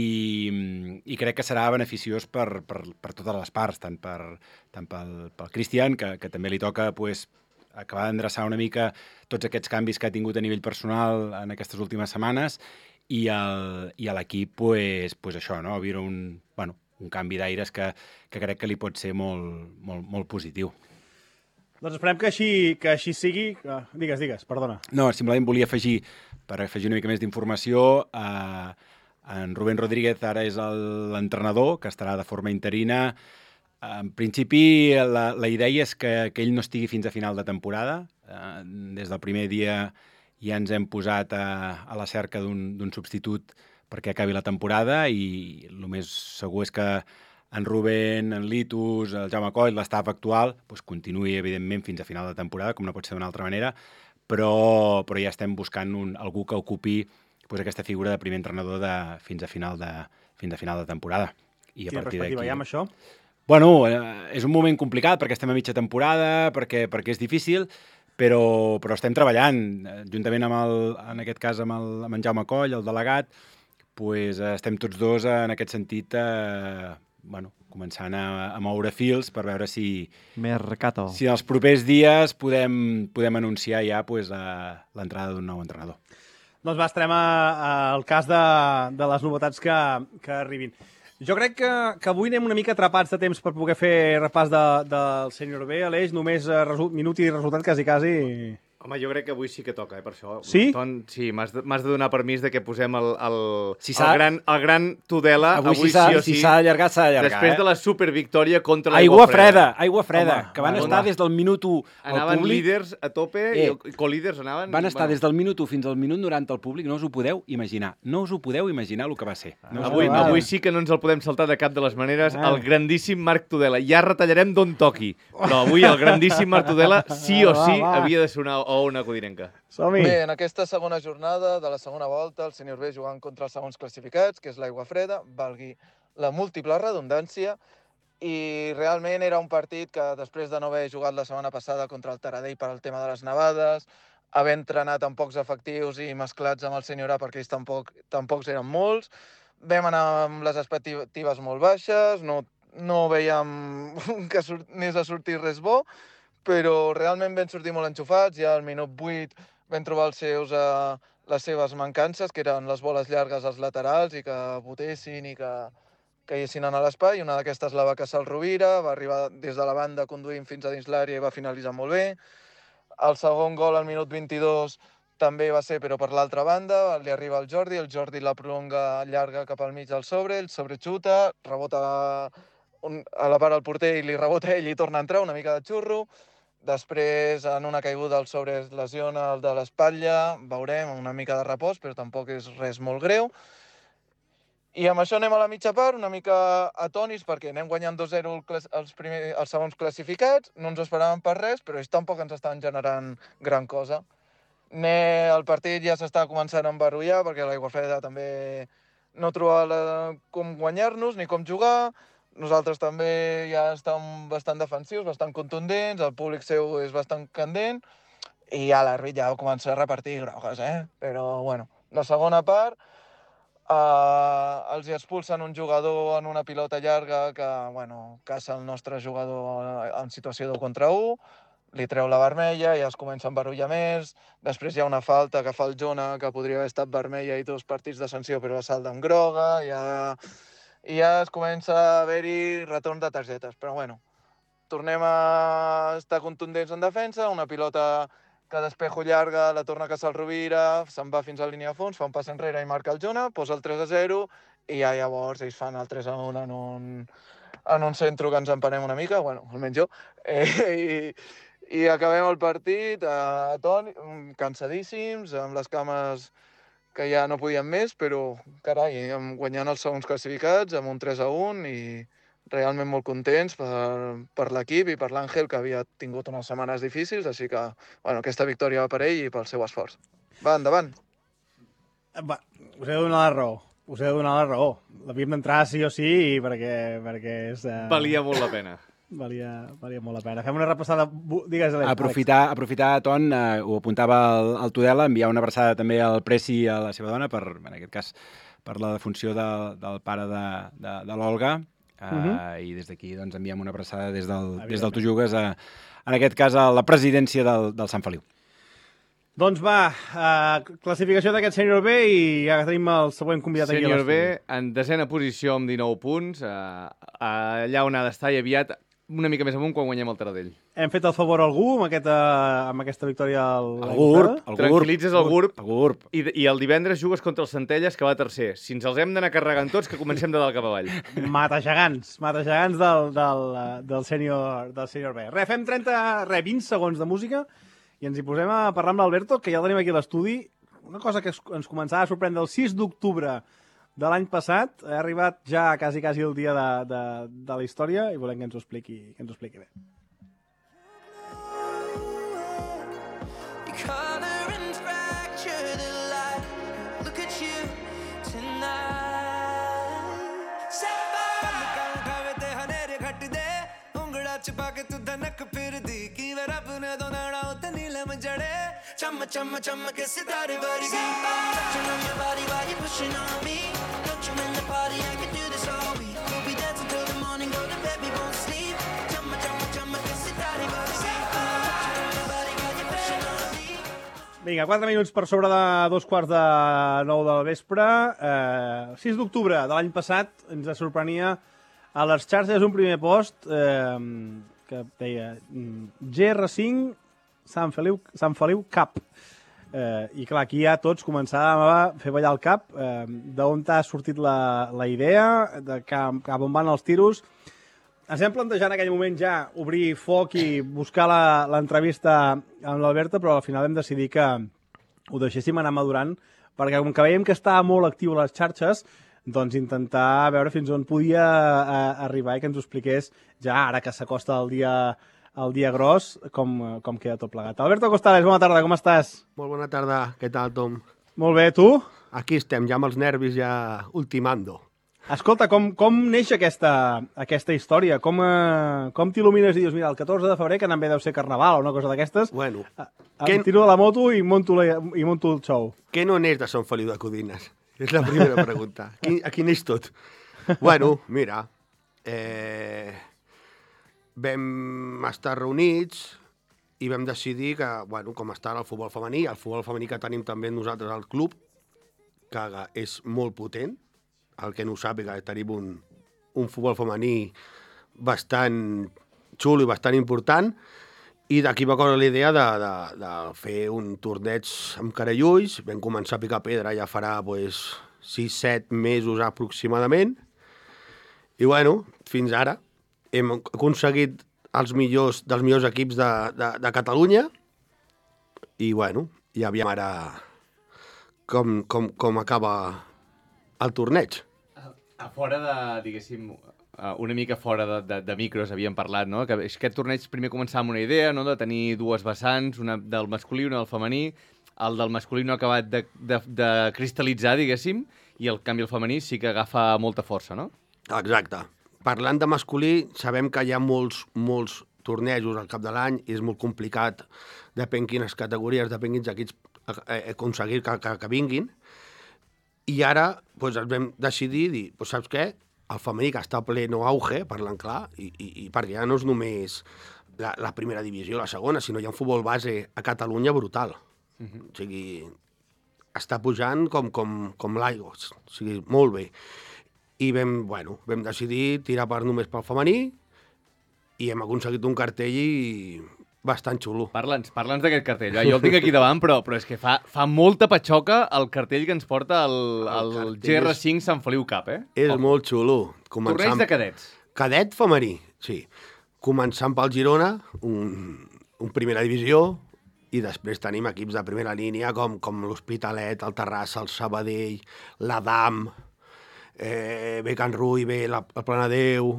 i crec que serà beneficiós per, per, per totes les parts, tant, per, tant pel, pel Cristian, que, que també li toca, pues, acabar d'endreçar una mica tots aquests canvis que ha tingut a nivell personal en aquestes últimes setmanes i, el, i a l'equip, pues, pues això, no? Viure un, bueno, un canvi d'aires que, que crec que li pot ser molt, molt, molt positiu. Doncs esperem que així, que així sigui. Uh, digues, digues, perdona. No, simplement volia afegir, per afegir una mica més d'informació, eh, en Rubén Rodríguez ara és l'entrenador, que estarà de forma interina. En principi, la, la idea és que, que ell no estigui fins a final de temporada. Eh, des del primer dia ja ens hem posat a, a la cerca d'un substitut perquè acabi la temporada i el més segur és que en Rubén, en Litus, el Jaume Coll, l'estaf actual, doncs continuï, evidentment, fins a final de temporada, com no pot ser d'una altra manera, però, però ja estem buscant un, algú que ocupi doncs, aquesta figura de primer entrenador de, fins, a final de, fins a final de temporada. I a Quina partir perspectiva d'aquí... hi ha amb això? Bueno, eh, és un moment complicat perquè estem a mitja temporada, perquè, perquè és difícil, però, però estem treballant, eh, juntament amb, el, en aquest cas, amb, el, amb en Jaume Coll, el delegat, pues, eh, estem tots dos eh, en aquest sentit, eh, bueno, començant a, a moure fils per veure si, Mercato. si en els propers dies podem, podem anunciar ja pues, l'entrada d'un nou entrenador. Doncs va, estarem a, a, al cas de, de les novetats que, que arribin. Jo crec que, que avui anem una mica atrapats de temps per poder fer repàs de, del sènior B, Aleix, només result, minut i resultat quasi, quasi. Home, jo crec que avui sí que toca, eh, per això. Sí? Ton, sí, m'has de, m'has de donar permís de que posem el, el, Si el, s'ha- gran, el gran Tudela, Avui, avui, si s'ha sí o si sí, s'ha d'allargar, s'ha d'allargar. després eh? de la supervictòria contra Aigua l'aigua freda, aigua freda, Home, que van home. estar des del minut u al Anaven públic. líders a tope Eh, i colíders anaven... Van estar des del minut u fins al minut noranta al públic, no us ho podeu imaginar. No us ho podeu imaginar el que va ser. No us ho Avui, podeu va. avui sí que no ens el podem saltar de cap de les maneres. Ah. El grandíssim Marc Tudela. Ja retallarem d'on toqui. Però avui el grandíssim Marc Tudela sí o Va, sí va. havia de sonar o una codinenca. Som-hi. Bé, en aquesta segona jornada de la segona volta, el sènior B jugant contra els segons classificats, que és l'Aigua Freda, valgui la múltiple redundància, i realment era un partit que després de no haver jugat la setmana passada contra el Taradell per al tema de les nevades, haver entrenat amb pocs efectius i mesclats amb el sènior A perquè ells tampoc, tampoc eren molts, vam anar amb les expectatives molt baixes, no, no veiem que surt, anés a sortir res bo, però realment vam sortir molt enxufats, ja al minut vuit vam trobar els seus, eh, les seves mancances, que eren les boles llargues als laterals i que botessin i que caiguessin a l'espai. Una d'aquestes la va caçar el Rovira, va arribar des de la banda conduint fins a dins l'àrea i va finalitzar molt bé. El segon gol al minut vint-i-dos també va ser, però per l'altra banda, li arriba el Jordi, el Jordi la prolonga llarga cap al mig del sobre, el sobre xuta, rebota un, a la part del porter i li rebota ell i torna a entrar, una mica de xurro. Després, en una caiguda, el sobre es lesiona el de l'espatlla, veurem, una mica de repòs, però tampoc és res molt greu. I amb això anem a la mitja part, una mica atònits, perquè anem guanyant dos zero els, primer, els segons classificats, no ens ho esperàvem per res, però ells tampoc ens estan generant gran cosa. Ne, el partit ja s'està començant a embarullar, perquè l'Aigua Freda també no trobava la, com guanyar-nos ni com jugar. Nosaltres també ja estem bastant defensius, bastant contundents, el públic seu és bastant candent, i ja l'àrbit ja va començar a repartir grogues, eh? Però, bueno, la segona part, eh, els hi expulsen un jugador en una pilota llarga que, bueno, caça el nostre jugador en situació de contra u, li treu la vermella, ja es comença a embarullar més, després hi ha una falta que fa el Jona, que podria haver estat vermella i dos partits de sanció, però la salda amb groga, ja... i ja es comença a haver-hi retorn de targetes. Però bueno, tornem a estar contundents en defensa, una pilota que d'espejo llarga la torna a caçar el Rovira, se'n va fins a la línia de fons, fa un pas enrere i marca el Jona, posa el tres a zero i ja llavors ells fan el tres a un en un, en un centre que ens empenem una mica, bueno, almenys jo, eh, i, i acabem el partit a ton, cansadíssims, amb les cames que ja no podien més, però, carai, guanyant els segons classificats amb un tres a un i realment molt contents per, per l'equip i per l'Àngel, que havia tingut unes setmanes difícils, així que, bueno, aquesta victòria va per ell i pel seu esforç. Va, endavant. Va, us he de donar la raó. Us he de donar la raó. L'havíem d'entrar sí o sí perquè, perquè és... Uh... Valia molt la pena. Valia, valia molt la pena. Fem una repassada... Digues, Àlex. Aprofitar, aprofitar Ton, eh, ho apuntava el, el Tudela, enviar una abraçada també al Preci i a la seva dona, per, en aquest cas, per la defunció de, del pare de, de, de l'Olga, eh, uh -huh. i des d'aquí doncs, enviem una abraçada des del, des del Tu Jugues, a, en aquest cas, a la presidència del, del Sant Feliu. Doncs va, uh, classificació d'aquest sènior B i ja tenim el següent convidat aquí a Sènior l'estudi. B, en desena posició amb dinou punts, uh, allà on ha d'estar i aviat una mica més amunt quan guanyem el Taradell. Hem fet el favor a algú amb aquesta, amb aquesta victòria al... El GURB. El Tranquil·litzes el GURB. El GURB. I, I el divendres jugues contra el Centelles, que va tercer. Si ens els hem d'anar carregant tots, que comencem de dalt cap avall. Matagegants, matagegants del, del, del, sènior, del sènior B. Re, fem trenta, re, vint segons de música i ens hi posem a parlar amb l'Alberto, que ja el tenim aquí a l'estudi. Una cosa que ens començava a sorprendre el sis d'octubre de l'any passat, ha arribat ja quasi, quasi el dia de, de, de la història i volem que ens ho expliqui, que ens ho expliqui bé. Chumma chumma chumma ke sitare vargi touching on your body while you're pushing on me. Don't you in the party, I can do this all week. We'll be dancing till the morning, go to bed, we won't sleep. Chumma chumma chumma ke sitare vargi touching on your body while you're pushing on me. Vinga, quatre minuts per sobre de dos quarts de nou del vespre. Eh, sis d'octubre de l'any passat ens sorprenia a les xarxes un primer post eh, que deia G R cinc Sant Feliu, Sant Feliu Cup. Eh, I clar, aquí ja tots començàvem a fer ballar el cap. Eh, d'on t'ha sortit la, la idea, de cap, cap on van els tiros. Ens vam plantejar en aquell moment ja obrir foc i buscar l'entrevista amb l'Alberta, però al final vam decidir que ho deixéssim anar madurant, perquè com que veiem que estava molt actiu a les xarxes, doncs intentar veure fins on podia eh, arribar i que ens ho expliqués ja ara que s'acosta el dia el dia gros, com, com queda tot plegat. Alberto Costales, bona tarda, com estàs? Molt bona tarda, què tal, Tom? Molt bé, tu? Aquí estem, ja amb els nervis ja ultimando. Escolta, com, com neix aquesta, aquesta història? Com, eh, com t'il·lumines i dius, mira, el catorze de febrer, que també deu ser carnaval o una cosa d'aquestes, bueno, em que... tiro de la moto i monto, la, i monto el show. Què no neix de Sant Feliu de Codines? És la primera pregunta. Aquí, aquí neix tot. Bueno, mira, eh... vam estar reunits i vam decidir que, bueno, com està el futbol femení, el futbol femení que tenim també nosaltres al club, que és molt potent, el que no ho sàpiga, tenim un, un futbol femení bastant xulo i bastant important, i d'aquí va córrer la idea de, de, de fer un torneig amb cara i ulls. Vam començar a picar pedra, ja farà pues, sis set mesos aproximadament, i bueno, fins ara hem aconseguit els millors, dels millors equips de, de, de Catalunya i, bueno, ja aviam ara com, com, com acaba el torneig. A fora de, diguéssim, una mica fora de, de, de micros havíem parlat, no? Que aquest torneig primer començava amb una idea, no?, de tenir dues vessants, una del masculí i una del femení. El del masculí no ha acabat de, de, de cristal·litzar, diguéssim, i el canvi al femení sí que agafa molta força, no? Exacte. Parlant de masculí, sabem que hi ha molts, molts tornejos al cap de l'any i és molt complicat, depèn quines categories, depèn quins equips aconseguir que, que, que vinguin. I ara doncs, ens vam decidir dir, doncs, saps què? El femení que està a pleno auge, parlant clar, i, i, i perquè ja no és només la, la primera divisió, la segona, sinó hi ha un futbol base a Catalunya brutal. Uh-huh. O sigui, està pujant com, com, com l'aigua, o sigui, molt bé. I vam, bueno, vam decidir tirar per només pel femení i hem aconseguit un cartell bastant xulo. Parla'ns, parla'ns d'aquest cartell. Jo el tinc aquí davant, però, però és que fa, fa molta patxoca el cartell que ens porta el, el, el G R cinc Sant Feliu Cup, eh? És oh. molt xulo. Començant... Torneig de cadets. Cadet femení, sí. Començant pel Girona, un, un primera divisió, i després tenim equips de primera línia com, com l'Hospitalet, el Terrassa, el Sabadell, l'Adam... Eh, ve Can Rui, ve la, el Planadeu...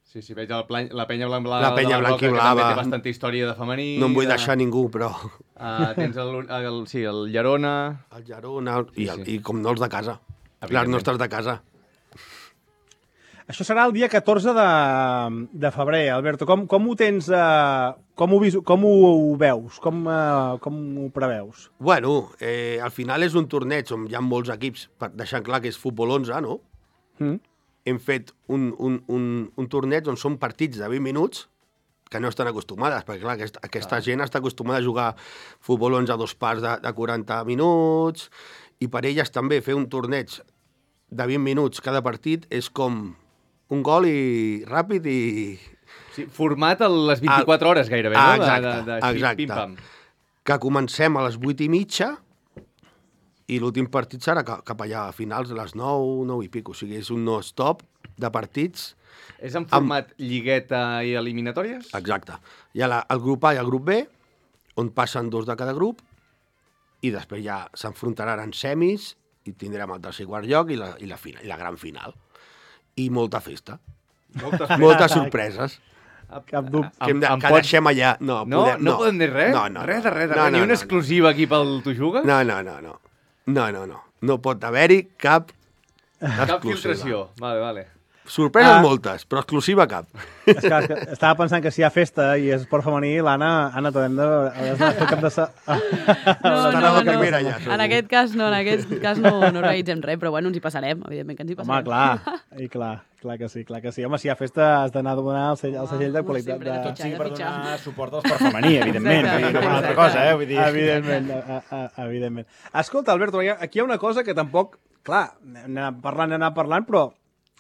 Sí, sí, veig el plan, la penya blanc-blava la penya blanc i blava, que també té bastanta història de femení. No em vull de... deixar ningú, però... Uh, tens el, el, sí, el Llerona... El Llerona, i, sí, sí. I com no els de casa, les nostres de casa. Això serà el dia catorze de, de febrer, Alberto. Com, com ho tens... Uh, com, ho, com ho veus? Com, uh, com ho preveus? Bueno, eh, al final és un torneig on hi ha molts equips, per deixar clar que és futbol onze, no? Mm. Hem fet un, un, un, un torneig on són partits de vint minuts que no estan acostumades, perquè clar, aquesta, aquesta ah. gent està acostumada a jugar futbol onze a dos parts de, de quaranta minuts, i per elles també fer un torneig de vint minuts cada partit és com un gol i ràpid i... Sí, format a les vint-i-quatre hores gairebé, ah, no? Exacte, de, de, de exacte. Pim-pam. Que comencem a les vuit i mitja i l'últim partit serà cap allà a finals a les nou, nou i pico. O sigui, és un no-stop de partits. És en format amb... lligueta i eliminatòries? Exacte. Hi ha la, el grup A i el grup B, on passen dos de cada grup, i després ja s'enfrontaran en semis i tindrem el tercer i quart lloc i la, i la, final, i la gran final. I molta festa. Moltes, Moltes sorpreses. Cap dubte. Que, hem de, que pots... deixem allà. No, no, podem, no, no podem dir res? No, no, res de res, de no, res. No, Ni una no, exclusiva no. aquí pel Tu Jugues? No, no, no, no. No, no, no. No pot haver-hi cap Cap filtració. Vale, vale. Sorpreses ah. moltes, però exclusiva cap. És que, és que estava pensant que si hi ha festa i és esport femení, l'Anna, Anna, t'hem de... Has de fer cap de... Sa... No, no, no, primera, ja, en aquest cas no, en aquest cas no, no organitzem res, però bueno, ens hi passarem, evidentment que ens hi passarem. Home, clar, i clar, clar que sí, clar que sí. Home, si hi ha festa has d'anar a donar el segell, el segell de qualitat. De... Tot sigui per donar suport al esport femení, evidentment. Exacte, no una altra cosa, eh? Vull dir... Evidentment, a, a, evidentment. Escolta, Alberto, aquí hi ha una cosa que tampoc... Clar, anem parlant, anem parlant, però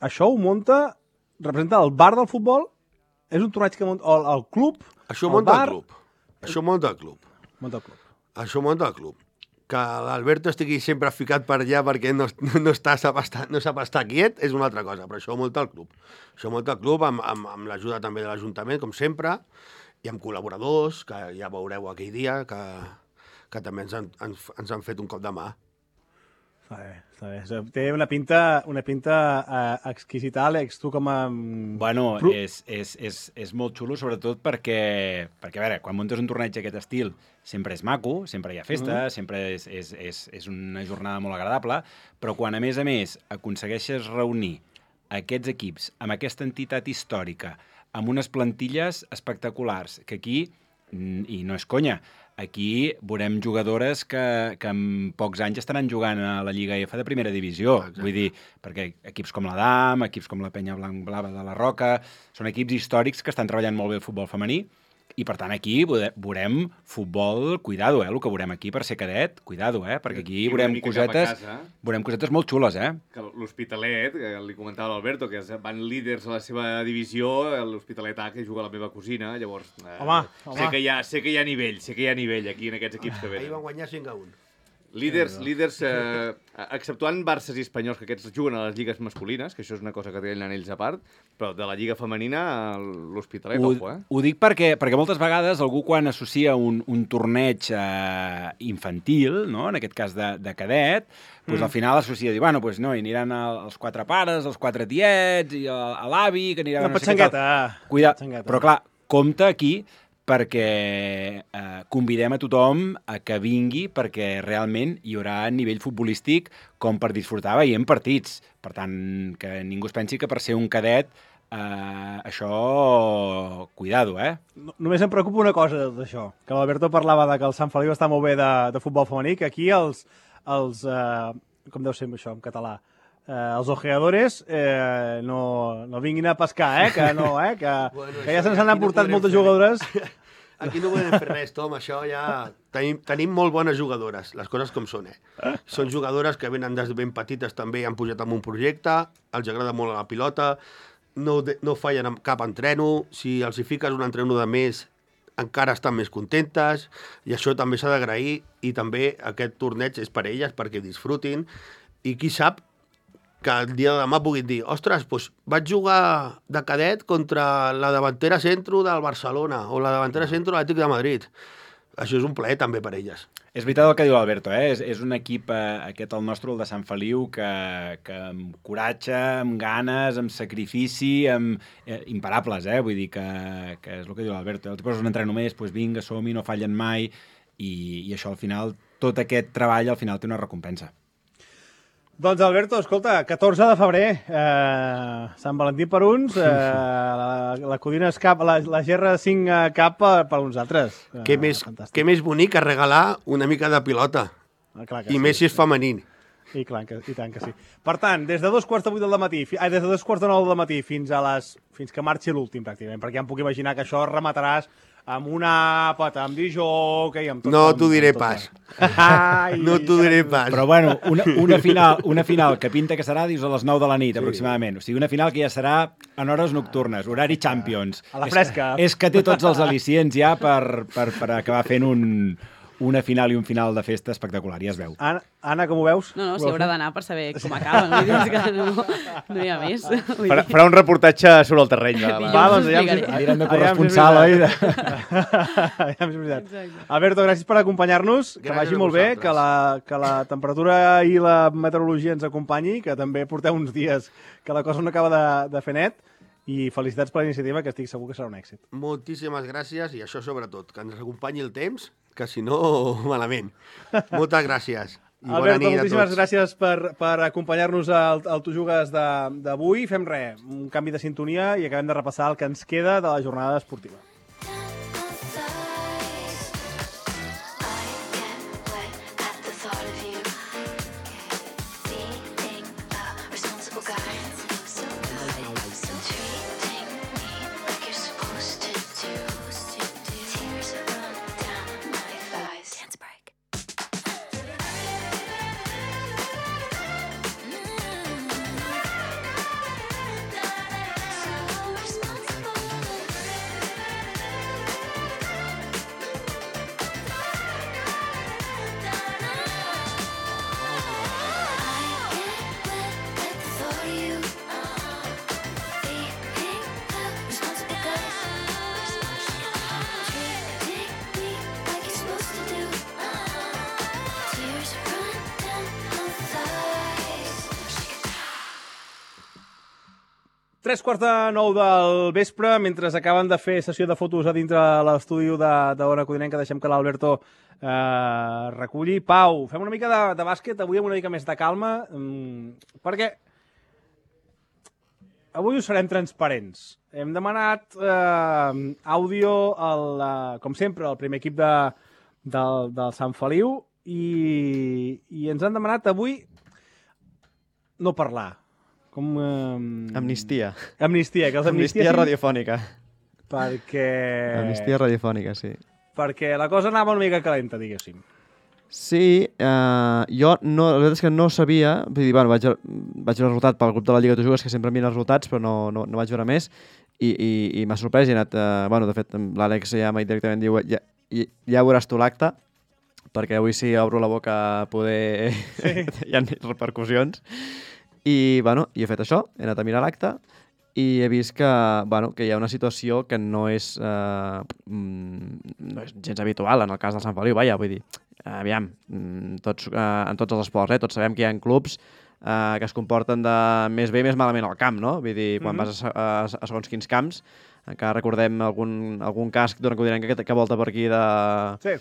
això ho munta... representa el bar del futbol? És un torneig que munta el, el club? Això el munta bar, el club. Això munta el club. Munta el club. Això munta el club. Que l'Alberto estigui sempre ficat per allà perquè no, no, està, sap estar, no sap estar quiet és una altra cosa, però això munta el club. Això munta el club amb, amb, amb l'ajuda també de l'Ajuntament, com sempre, i amb col·laboradors, que ja veureu aquell dia, que, que també ens han, ens, ens han fet un cop de mà. Està bé, està bé. Té una pinta, una pinta uh, exquisita, Àlex, tu com a... Bueno, és, és, és, és molt xulo, sobretot perquè, perquè, a veure, quan muntes un torneig d'aquest estil, sempre és maco, sempre hi ha festa, mm-hmm. sempre és, és, és, és una jornada molt agradable, però quan, a més a més, aconsegueixes reunir aquests equips amb aquesta entitat històrica, amb unes plantilles espectaculars, que aquí, i no és conya, aquí veurem jugadores que, que en pocs anys estaran jugant a la Lliga F de primera divisió. Exacte. Vull dir, perquè equips com l'Adam, equips com la Penya Blanc Blava de la Roca, són equips històrics que estan treballant molt bé el futbol femení, i per tant aquí veurem futbol, cuidado, eh, el que veurem aquí per ser cadet, cuidado, eh, perquè aquí I veurem cosetes, veurem cosetes molt xules, eh. Que l'Hospitalet, que li comentava l'Alberto, que van líders a la seva divisió, l'Hospitalet A, que juga la meva cosina, llavors... Eh, home, home. Sé que, hi ha, sé que hi ha nivell, sé que hi ha nivell aquí en aquests equips que venen. Ahir van guanyar cinc a un. Líders, líders eh, exceptuant Barces i Espanyols, que aquests juguen a les lligues masculines, que això és una cosa que tenen ells a part, però de la lliga femenina, l'Hospitalet, ojo, eh? Ho dic perquè, perquè moltes vegades algú quan associa un, un torneig eh, infantil, no? En aquest cas de, de cadet, pues mm. al final associa, dir, bueno, pues no, hi aniran els quatre pares, els quatre tiets, i l'avi, que aniran... Una petxangueta. Cuida, però clar, compte aquí, perquè eh, convidem a tothom a que vingui perquè realment hi haurà nivell futbolístic com per disfrutar veient partits. Per tant, que ningú es pensi que per ser un cadet eh, això... Cuidado, eh? No, només em preocupa una cosa de tot això, que l'Alberto parlava de que el Sant Feliu està molt bé de, de futbol femení, que aquí els... els eh, com deu ser això en català? Eh, els ojeadores eh, no, no vinguin a pescar, eh? Que no, eh? Que, bueno, que ja se'ns han aportat no moltes jugadores. Aquí no podem fer res, Tom, això ja... Tenim, tenim molt bones jugadores, les coses com són, eh? Són jugadores que venen des de ben petites també, han pujat amb un projecte, els agrada molt la pilota, no, de, no fallen amb cap entreno, si els hi fiques un entreno de més, encara estan més contentes, i això també s'ha d'agrair, i també aquest torneig és per elles, perquè disfrutin, i qui sap que el dia de demà puguin dir, ostres, doncs vaig jugar de cadet contra la davantera centro del Barcelona o la davantera centro de l'Atlètic de Madrid. Això és un plaer també per elles. És veritat el que diu l'Alberto, eh? és, és un equip, eh, aquest el nostre, el de Sant Feliu, que, que amb coratge, amb ganes, amb sacrifici, amb eh, imparables, eh? Vull dir que, que és el que diu l'Alberto. Eh? Tu poses un entreno més, doncs vinga, som-hi, no fallen mai, i, i això al final, tot aquest treball al final té una recompensa. Doncs, Alberto, escolta, catorze de febrer, eh, Sant Valentí per uns, eh, la, la Codina és cap, la, la G R cinc cap per, per uns altres. Eh, què, més, què més bonic que regalar una mica de pilota. Ah, clar que I sí, més si és sí. femení. I, clar, que, i tant que sí. Per tant, des de dos quarts de vuit del matí, ai, des de dos quarts de nou del matí fins a les, fins que marxi l'últim, pràcticament, perquè ja em puc imaginar que això remataràs amb una àpata, amb disjockey, amb tot. No t'ho diré pas. Ai, no t'ho diré pas. Però bueno, una, una, final, una final que pinta que serà, dius, a les nou de la nit, sí. aproximadament. O sigui, una final que ja serà en hores nocturnes, horari Champions. A la fresca. És, és que té tots els al·licients ja per, per, per acabar fent un, una final i un final de festa espectacular, ja es veu. Anna, Anna com ho veus? No, no, s'hi haurà d'anar per saber com acaben. Vull dir que no, no hi ha més. Farà, farà un reportatge sobre el terreny. Va, va, va doncs, allà anirem de corresponsal, oi? Alberto, gràcies per acompanyar-nos, que vagi molt bé, que la, que la temperatura i la meteorologia ens acompanyi, que també porteu uns dies que la cosa no acaba de, de fer net, i felicitats per la iniciativa, que estic segur que serà un èxit. Moltíssimes gràcies, i això sobretot, que ens acompanyi el temps, que si no, malament. Moltes gràcies. I Alberto, moltíssimes gràcies per, per acompanyar-nos al, al Tu Jugues d'avui. Fem res, un canvi de sintonia i acabem de repassar el que ens queda de la jornada esportiva. Tres quarts de nou del vespre, mentre acaben de fer sessió de fotos a dintre l'estudi d'Ona Codinenca, deixem que l'Alberto eh, reculli. Pau, fem una mica de, de bàsquet, avui amb una mica més de calma, mmm, perquè avui us serem transparents. Hem demanat eh, àudio, al, eh, com sempre, al primer equip de, del, del Sant Feliu i, i ens han demanat avui no parlar. Com, eh... Amnistia. Amnistia, que els amnistia amnistia radiofònica. Perquè... Amnistia radiofònica, sí. Perquè la cosa anava una mica calenta, diguéssim. Sí, eh, jo no, la veritat és que no sabia, vull dir, bueno, vaig, vaig veure el resultat pel grup de la Lliga Tu Jugues, que sempre mira els resultats, però no, no, no vaig veure més, i, i, i m'ha sorprès, i he anat, eh, bueno, de fet, l'Àlex ja m'ha dit directament, diu, ja, ja, ja veuràs tu l'acte, perquè avui sí obro la boca a poder... Sí. Hi ha repercussions. I, bueno, i he fet això, he anat a mirar l'acte i he vist que, bueno, que hi ha una situació que no és, eh, no és gens habitual en el cas del Sant Feliu, vaja, vull dir, aviam, tots, eh, en tots els esports, eh, tots sabem que hi ha clubs eh, que es comporten de més bé i més malament al camp, no? Vull dir, quan mm-hmm. vas a, a, a segons quins camps, encara recordem algun, algun cas d'una codinenca que, que volta per aquí de sí.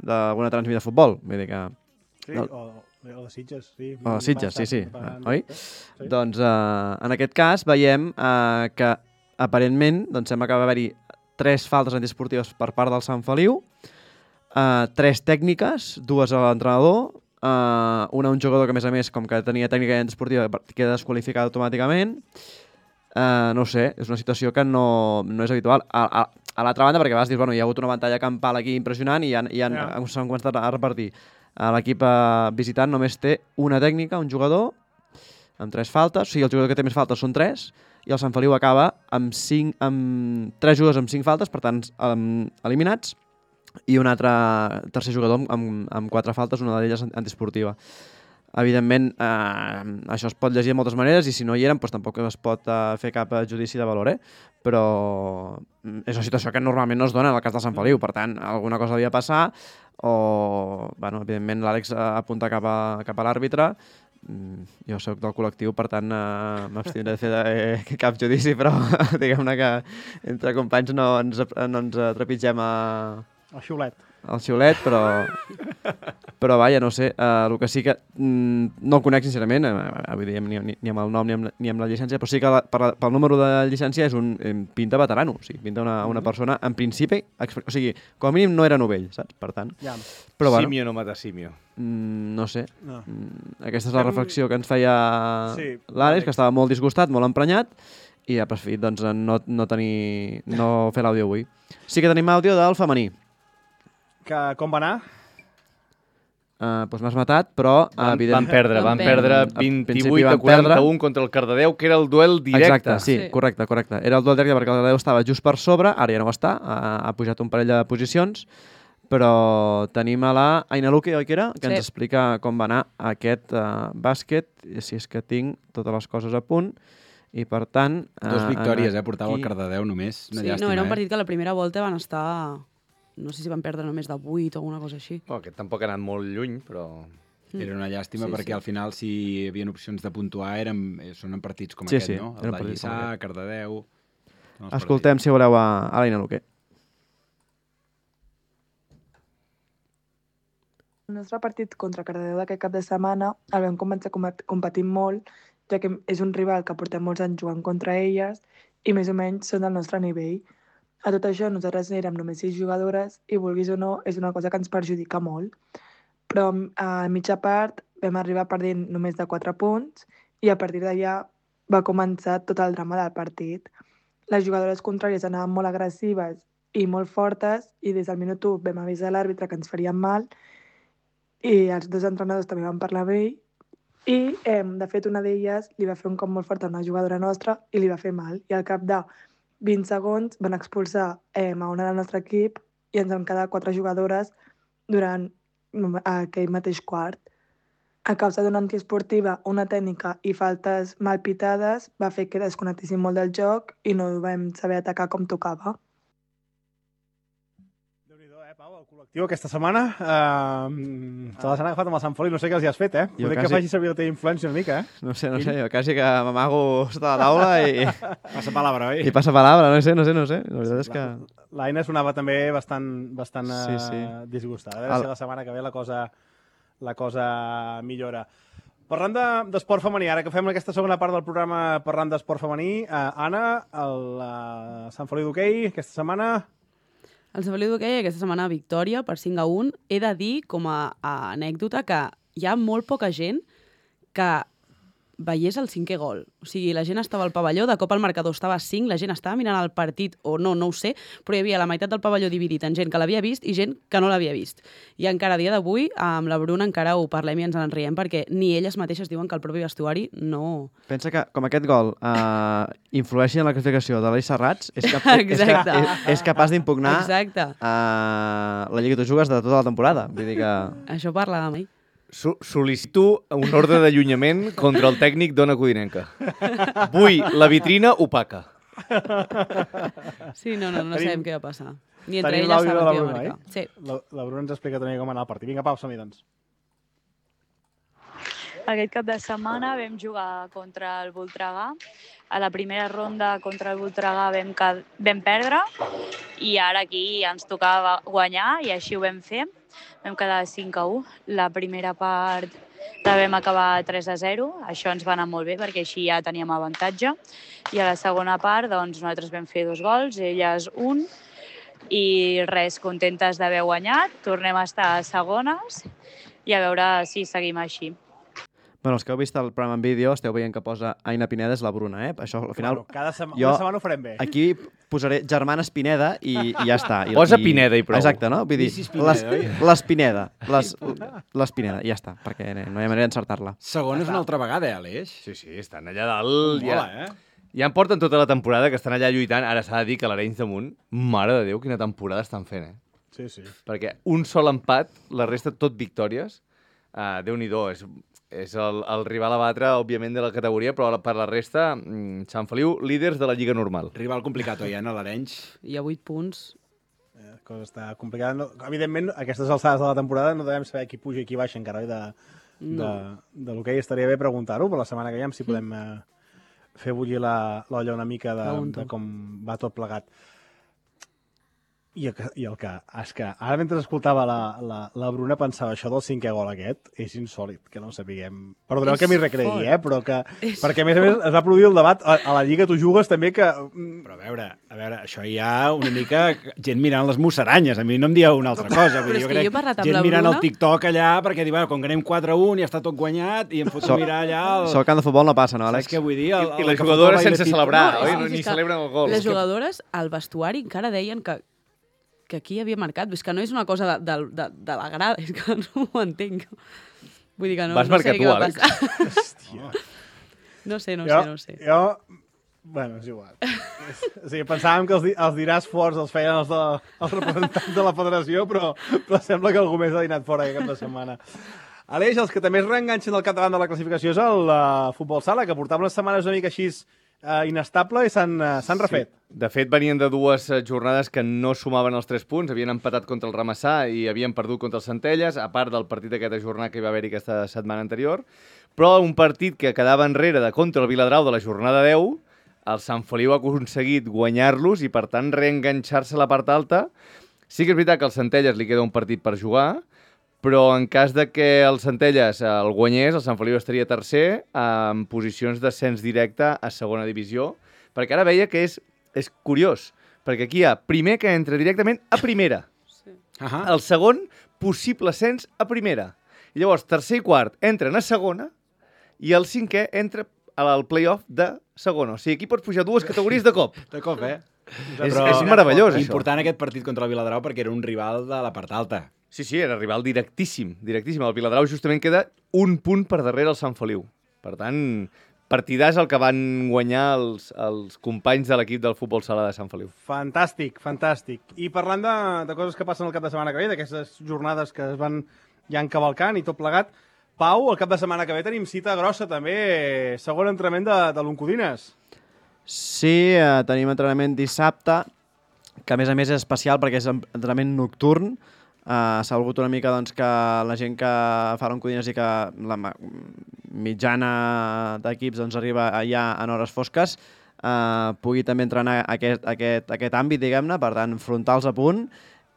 d'alguna transmida de futbol, vull dir que... Sí, no, o... O de Sitges, sí. O de Sitges, sí, sí. Passant, oi? Sí. Doncs eh, en aquest cas veiem eh, que aparentment doncs, sembla que va haver-hi tres faltes antiesportives per part del Sant Feliu, eh, tres tècniques, dues a l'entrenador, eh, una a un jugador que a més a més, com que tenia tècnica antiesportiva, queda desqualificat automàticament. Eh, no ho sé, és una situació que no, no és habitual. A, a, a l'altra banda, perquè a vegades dius, bueno, hi ha hagut una pantalla campal aquí impressionant i, han, i han, yeah. s'han començat a repartir. L'equip visitant només té una tècnica, un jugador, amb tres faltes. O sigui, el jugador que té més faltes són tres, i el Sant Feliu acaba amb, cinc, amb tres jugadors amb cinc faltes, per tant, um, eliminats, i un altre tercer jugador amb, amb quatre faltes, una d'elles antiesportiva. Evidentment, eh, això es pot llegir de moltes maneres, i si no hi eren, doncs tampoc es pot eh, fer cap judici de valor, eh? Però és una situació que normalment no es dona en el cas del Sant Feliu, per tant, alguna cosa havia de passar, o, bueno, evidentment l'Àlex apunta cap a, cap a l'àrbitre. Jo soc del col·lectiu, per tant, eh, m'abstindré de fer de, eh, cap judici, però diguem-ne que entre companys no ens, no ens trepitgem a... El xiulet. El xiulet, però... Però, vaja, no sé, uh, el que sí que mm, no el conec, sincerament, uh, vull dir, ni, ni, ni amb el nom ni amb, ni amb la llicència, però sí que la, per la, pel número de llicència és un eh, pinta veterano, o sigui, pinta una, una persona, en principi, o sigui, com a mínim no era novell, saps? Per tant... Ja. Però, bueno, símio no mata símio. Mm, no sé. No. Mm, aquesta és la reflexió que ens feia sí, l'Àlex, que estava molt disgustat, molt emprenyat, i ha preferit doncs, no, no, tenir, no fer l'àudio avui. Sí que tenim àudio del femení. Que, com va anar? Uh, doncs m'has matat, però... Van, evident... van perdre, van perdre vint-i-vuit a quaranta-un contra el Cardedeu, que era el duel directe. Exacte, sí, sí, correcte, correcte. Era el duel directe perquè el Cardedeu estava just per sobre, ara ja no ho està, ha, ha pujat un parell de posicions, però tenim a la Aina Luque, oi que era? Que sí. Ens explica com va anar aquest uh, bàsquet, si és que tinc totes les coses a punt, i per tant... Uh, Dos victòries, eh? Portava aquí... el Cardedeu només, una sí, llàstima, no, era un partit eh? que a la primera volta van estar... No sé si van perdre només de vuit o alguna cosa així. Oh, aquest tampoc ha anat molt lluny, però... Mm. Era una llàstima sí, perquè sí. Al final, si hi havia opcions de puntuar, eren, són en partits com sí, aquest, sí, no? El de Lliçà, Cardedeu... Escoltem, si voleu, a, a l'Aina Luque. El nostre partit contra Cardedeu d'aquest cap de setmana el vam començar competint molt, ja que és un rival que portem molts anys jugant contra elles i més o menys són del nostre nivell. A tot això, nosaltres érem només sis jugadores i, vulguis o no, és una cosa que ens perjudica molt. Però a mitja part vam arribar perdent només de quatre punts i a partir d'allà va començar tot el drama del partit. Les jugadores contràries anaven molt agressives i molt fortes i des del minut u vam avisar l'àrbitre que ens farien mal i els dos entrenadors també van parlar amb ell i, eh, de fet, una d'elles li va fer un cop molt fort a una jugadora nostra i li va fer mal. I al cap de vint segons van expulsar eh, a una del nostre equip i ens vam quedar quatre jugadores durant aquell mateix quart. A causa d'una antiesportiva, una tècnica i faltes mal pitades va fer que desconnectéssim molt del joc i no vam saber atacar com tocava. Déu-n'hi-do, eh, Pau? el col·lectiu aquesta setmana. Uh, te les han agafat amb el Sant Feliu, no sé què els hi has fet, eh? Jo Poder quasi... que faci servir la teva influència una mica, eh? No sé, no sé, jo quasi que m'amago sota la taula i... Passa palabra, oi? I passa palabra, no sé, no sé, no sé. La veritat és que... L'Aina sonava també bastant, bastant Sí, sí. uh, disgustada. A veure El- si la setmana que ve la cosa, la cosa millora. Parlant de- d'esport femení, ara que fem aquesta segona part del programa parlant d'esport femení, uh, Anna, el uh, Sant Feliu d'hoquei, aquesta setmana... El Sant Feliu d'hoquei aquesta setmana victòria per cinc a un. He de dir, com a, a anècdota, que hi ha molt poca gent que veiés el cinquè gol. O sigui, la gent estava al pavelló, de cop el marcador estava a cinc, la gent estava mirant el partit, o no, no ho sé, però hi havia la meitat del pavelló dividit en gent que l'havia vist i gent que no l'havia vist. I encara a dia d'avui, amb la Bruna encara ho parlem i ens en riem, perquè ni elles mateixes diuen que el propi vestuari no... Pensa que, com aquest gol uh, influeixi en la classificació de l'Eix Serrats, és, cap, és, Exacte. és, és capaç d'impugnar Exacte. uh, la Lliga de Jugues de tota la temporada. Vull dir que... Això parlàvem ahir. So Sol·licito un ordre d'allunyament contra el tècnic d'Ona Codinenca. Vull la vitrina opaca. Sí, no, no, no Tenim- sabem què va passar. Ni entre Tenim elles l'àudio de saben la què va Bruna, marcar. eh? Sí. La, la Bruna ens explica també com anar el partit. Vinga, Pau, som-hi, doncs. Aquest cap de setmana vam jugar contra el Voltregà. A la primera ronda contra el Voltregà vam, ca- vam perdre i ara aquí ens tocava guanyar i així ho vam fer. Vam quedar cinc a u. La primera part la vam acabar tres a zero. Això ens va anar molt bé perquè així ja teníem avantatge. I a la segona part doncs, nosaltres vam fer dos gols, elles un. I res, contentes d'haver guanyat. Tornem a estar a segones i a veure si seguim així. Bueno, els que heu vist el programa en vídeo esteu veient que posa Aina Pineda és la Bruna, eh? Això, al final... Bueno, cada sema- jo una setmana ho farem bé. Aquí posaré germana Pineda i, i ja està. I, Posa i... Pineda i prou. Exacte, no? Vull dir, Missis Pineda, les, oi? les Pineda. Les, les Pineda, i ja està, perquè no hi ha manera d'encertar-la. Segona és una altra vegada, eh, Aleix? Sí, sí, estan allà dalt. Mola, ja, eh? Ja en porten tota la temporada que estan allà lluitant. Ara s'ha de dir que l'Arenys damunt, mare de Déu, quina temporada estan fent, eh? Sí, sí. Perquè un sol empat, la resta tot victòries. Uh, Déu-n'hi-do, és, és el, el rival a batre, òbviament, de la categoria, però per la resta, mm, Sant Feliu, líders de la Lliga normal. Rival complicat, oi, Anna, l'Arenys? Hi ha vuit punts. La cosa està complicada. No, evidentment, a aquestes alçades de la temporada no devem saber qui puja i qui baixa encara, oi? De, de, No. de l'hoquei estaria bé preguntar-ho, però la setmana que ve si podem eh, fer bullir la- l'olla una mica de, Pregunto. de com va tot plegat. I el, que, I el que... És que ara mentre escoltava la, la, la Bruna pensava això del cinquè gol aquest és insòlid, que no ho sapiguem. Perdoneu És que m'hi recreï, fort. eh? Però que... És Perquè a més a més es va produir el debat a, a la Lliga Tu Jugues també que... Però a veure, a veure, això hi ha una mica gent mirant les musaranyes. A mi no em dieu una altra cosa. Vull Però dir, és jo que crec jo he parlat amb gent la mirant Bruna. el TikTok allà perquè diu, bueno, com que anem quatre a un i està tot guanyat i em foto So- a mirar allà... El... Això al camp de futbol no passa, no, Saps Àlex? què vull dir? El, I, i el les que jugadores fotava sense i de celebrar, títol. oi? sí, No, sí, ni és que celebren el gol. Les jugadores al vestuari encara deien que, que aquí havia marcat. És que no és una cosa de, de, de, de la grada, és que no ho entenc. Vull dir que no, Vas no marcar sé tu, què va Àlex? passar. Hòstia. No sé, no jo, sé, no sé. Jo... Bueno, és igual. O sigui, pensàvem que els, di els diràs forts els feien els, de, els representants de la federació, però, però sembla que algú més ha dinat fora aquest cap de setmana. Aleix, els que també es reenganxen al capdavant de la classificació és el uh, futbol sala, que portava unes setmanes una mica així uh, inestable i s'han uh, s'han refet. De fet, venien de dues eh, jornades que no sumaven els tres punts, havien empatat contra el Ramassà i havien perdut contra el Centelles, a part del partit d'aquesta jornada que hi va haver-hi aquesta setmana anterior, però un partit que quedava enrere de contra el Viladrau de la jornada deu, el Sant Feliu ha aconseguit guanyar-los i, per tant, reenganxar-se a la part alta. Sí que és veritat que al Centelles li queda un partit per jugar, però en cas de que el Centelles el guanyés, el Sant Feliu estaria tercer en posicions d'ascens directe a segona divisió, perquè ara veia que és, és curiós, perquè aquí hi ha primer que entra directament a primera, Sí. Ahà. el segon possible ascens a primera, i llavors tercer i quart entren a segona i el cinquè entra al play-off de segona. O sigui, aquí pots pujar dues categories de cop. De cop, eh? És, és meravellós, això. Important aquest partit contra el Viladrau perquè era un rival de la part alta. Sí, sí, era rival directíssim, directíssim. El Viladrau justament queda un punt per darrere el Sant Feliu. Per tant, partidàs el que van guanyar els, els companys de l'equip del futbol sala de Sant Feliu. Fantàstic, fantàstic. I parlant de, de coses que passen el cap de setmana que ve, d'aquestes jornades que es van ja encavalcant i tot plegat, Pau, el cap de setmana que ve tenim cita grossa també, segon entrenament de, de l'Oncodines. Sí, eh, tenim entrenament dissabte, que a més a més és especial perquè és entrenament nocturn. Uh, S'ha volgut una mica doncs, que la gent que fa l'Oncodines i que la mitjana d'equips doncs, arriba ja en hores fosques uh, pugui també entrenar aquest, aquest, aquest àmbit, diguem-ne, per tant, frontals a punt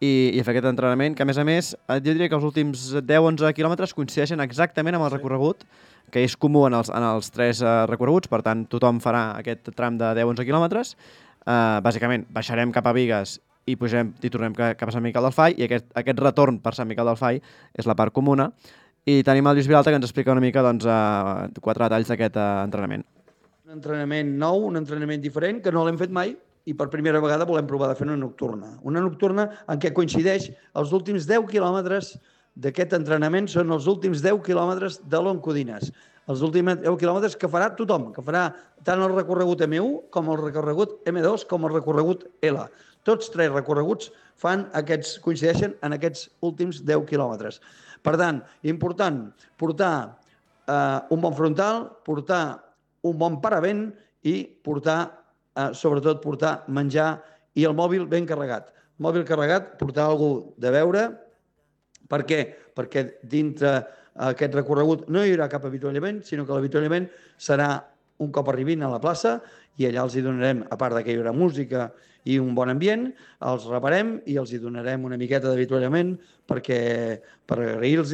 i, i fer aquest entrenament, que a més a més jo diria que els últims deu a onze quilòmetres coincideixen exactament amb el recorregut, que és comú en els, en els tres uh, recorreguts, per tant, tothom farà aquest tram de deu a onze quilòmetres. Uh, bàsicament, baixarem cap a Bigues i pugem i tornem cap a Sant Miquel del Fai i aquest, aquest retorn per Sant Miquel del Fai és la part comuna i tenim el Lluís Vilalta que ens explica una mica doncs, uh, quatre detalls d'aquest uh, entrenament. Un entrenament nou, un entrenament diferent que no l'hem fet mai i per primera vegada volem provar de fer una nocturna. Una nocturna en què coincideix els últims deu quilòmetres d'aquest entrenament són els últims deu quilòmetres de l'Oncodines. Els últims deu quilòmetres que farà tothom, que farà tant el recorregut eme u com el recorregut eme dos com el recorregut ele. Tots tres recorreguts fan aquests, coincideixen en aquests últims deu quilòmetres. Per tant, important, portar eh, un bon frontal, portar un bon paravent i portar, eh, sobretot, portar menjar i el mòbil ben carregat. Mòbil carregat, portar alguna de beure. Per què? Perquè dintre aquest recorregut no hi haurà cap avituallament, sinó que l'avituallament serà un cop arribin a la plaça i allà els hi donarem, a part que hi haurà música i un bon ambient, els reparem i els hi donarem una miqueta d'avituallament perquè per agrair-los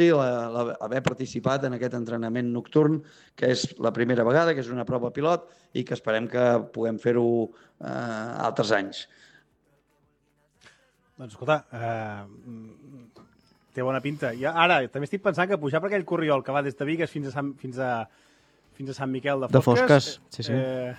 haver participat en aquest entrenament nocturn, que és la primera vegada, que és una prova pilot i que esperem que puguem fer-ho eh, altres anys. Doncs escolta, eh, té bona pinta. I ara, també estic pensant que pujar per aquell corriol que va des de Bigues fins a Sant, fins a, fins a Sant Miquel de Fosques... De Fosques, sí, sí. Eh,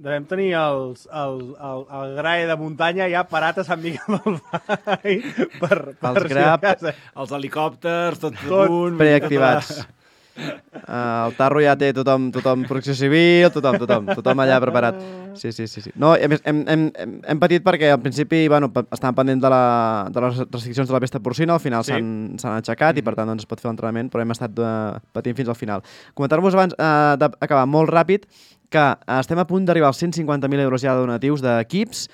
devem tenir els, el, el, el grae de muntanya ja parat a Sant Miquel del Fai per, per els grap, els helicòpters, tot, tot a punt. Preactivats. Uh, el tarro ja té tothom, tothom protecció civil, tothom, tothom, tothom allà preparat. Sí, sí, sí. sí. No, a més, hem, hem, hem patit perquè al principi bueno, estàvem pendent de, la, de les restriccions de la pesta porcina, al final s'han sí. aixecat i per tant doncs, es pot fer l'entrenament, però hem estat uh, patint fins al final. Comentar-vos abans uh, d'acabar molt ràpid que uh, estem a punt d'arribar als cent cinquanta mil euros ja de donatius d'equips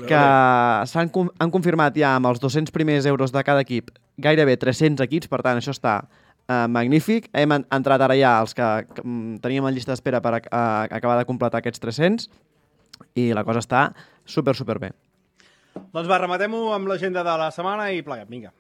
que s'han han confirmat ja amb els dos-cents primers euros de cada equip gairebé tres-cents equips, per tant això està Uh, magnífic. Hem entrat ara ja els que, que um, teníem en llista d'espera per a, a, acabar de completar aquests tres-cents i la cosa està super, super bé. Doncs va, rematem-ho amb l'agenda de la setmana i pleguem, vinga.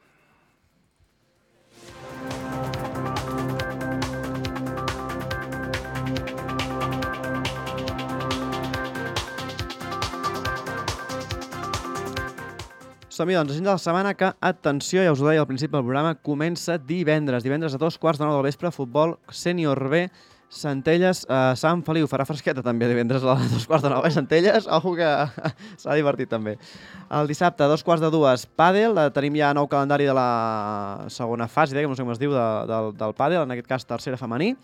Som-hi, doncs, agenda de la setmana que, atenció, ja us ho deia al principi del programa, comença divendres. Divendres a dos quarts de nou del vespre, futbol sènior B, Centelles, eh, Sant Feliu. Farà fresqueta també divendres a dos quarts de nou, eh, Centelles? Ojo que s'ha divertit també. El dissabte, a dos quarts de dues, pàdel. Tenim ja nou calendari de la segona fase, que no sé com es diu, de, del, del pàdel, en aquest cas tercera femení,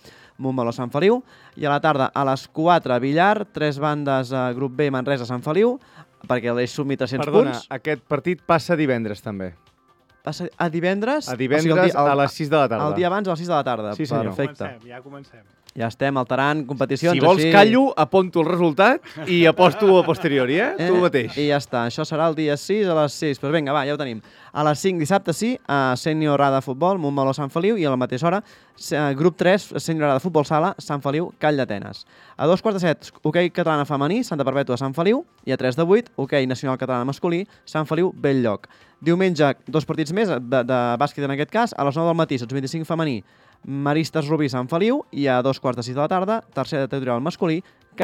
Montmeló, Sant Feliu. I a la tarda, a les quatre, billar, tres bandes, eh, grup B, Manresa, Sant Feliu, perquè l'Eix sumi tres-cents Perdona, punts. aquest partit passa divendres, també. Passa a divendres? A divendres o sigui, el dia, el, a les sis de la tarda. El dia abans a les sis de la tarda. Sí, senyor. Perfecte. Ja comencem, ja comencem. Ja estem alterant competicions. Si vols així... callo, aponto el resultat i aposto a posteriori, eh? eh? Tu mateix. I ja està. Això serà el dia sis a les sis. Però vinga, va, ja ho tenim. A les cinc dissabte sí, a Sènior A de Futbol, Montmeló, Sant Feliu, i a la mateixa hora, grup tres, Sènior A de Futbol Sala, Sant Feliu, Call d'Atenes. A dos quarts de set, hoquei catalana femení, Santa Perpètua, Sant Feliu, i a tres de vuit, hoquei nacional catalana masculí, Sant Feliu, Belllloc. Diumenge, dos partits més, de, de bàsquet en aquest cas, a les nou del matí, sots vint-i-cinc femení, Maristes Rubí, Sant Feliu, i a dos quarts de sis de la tarda, tercera territorial masculí,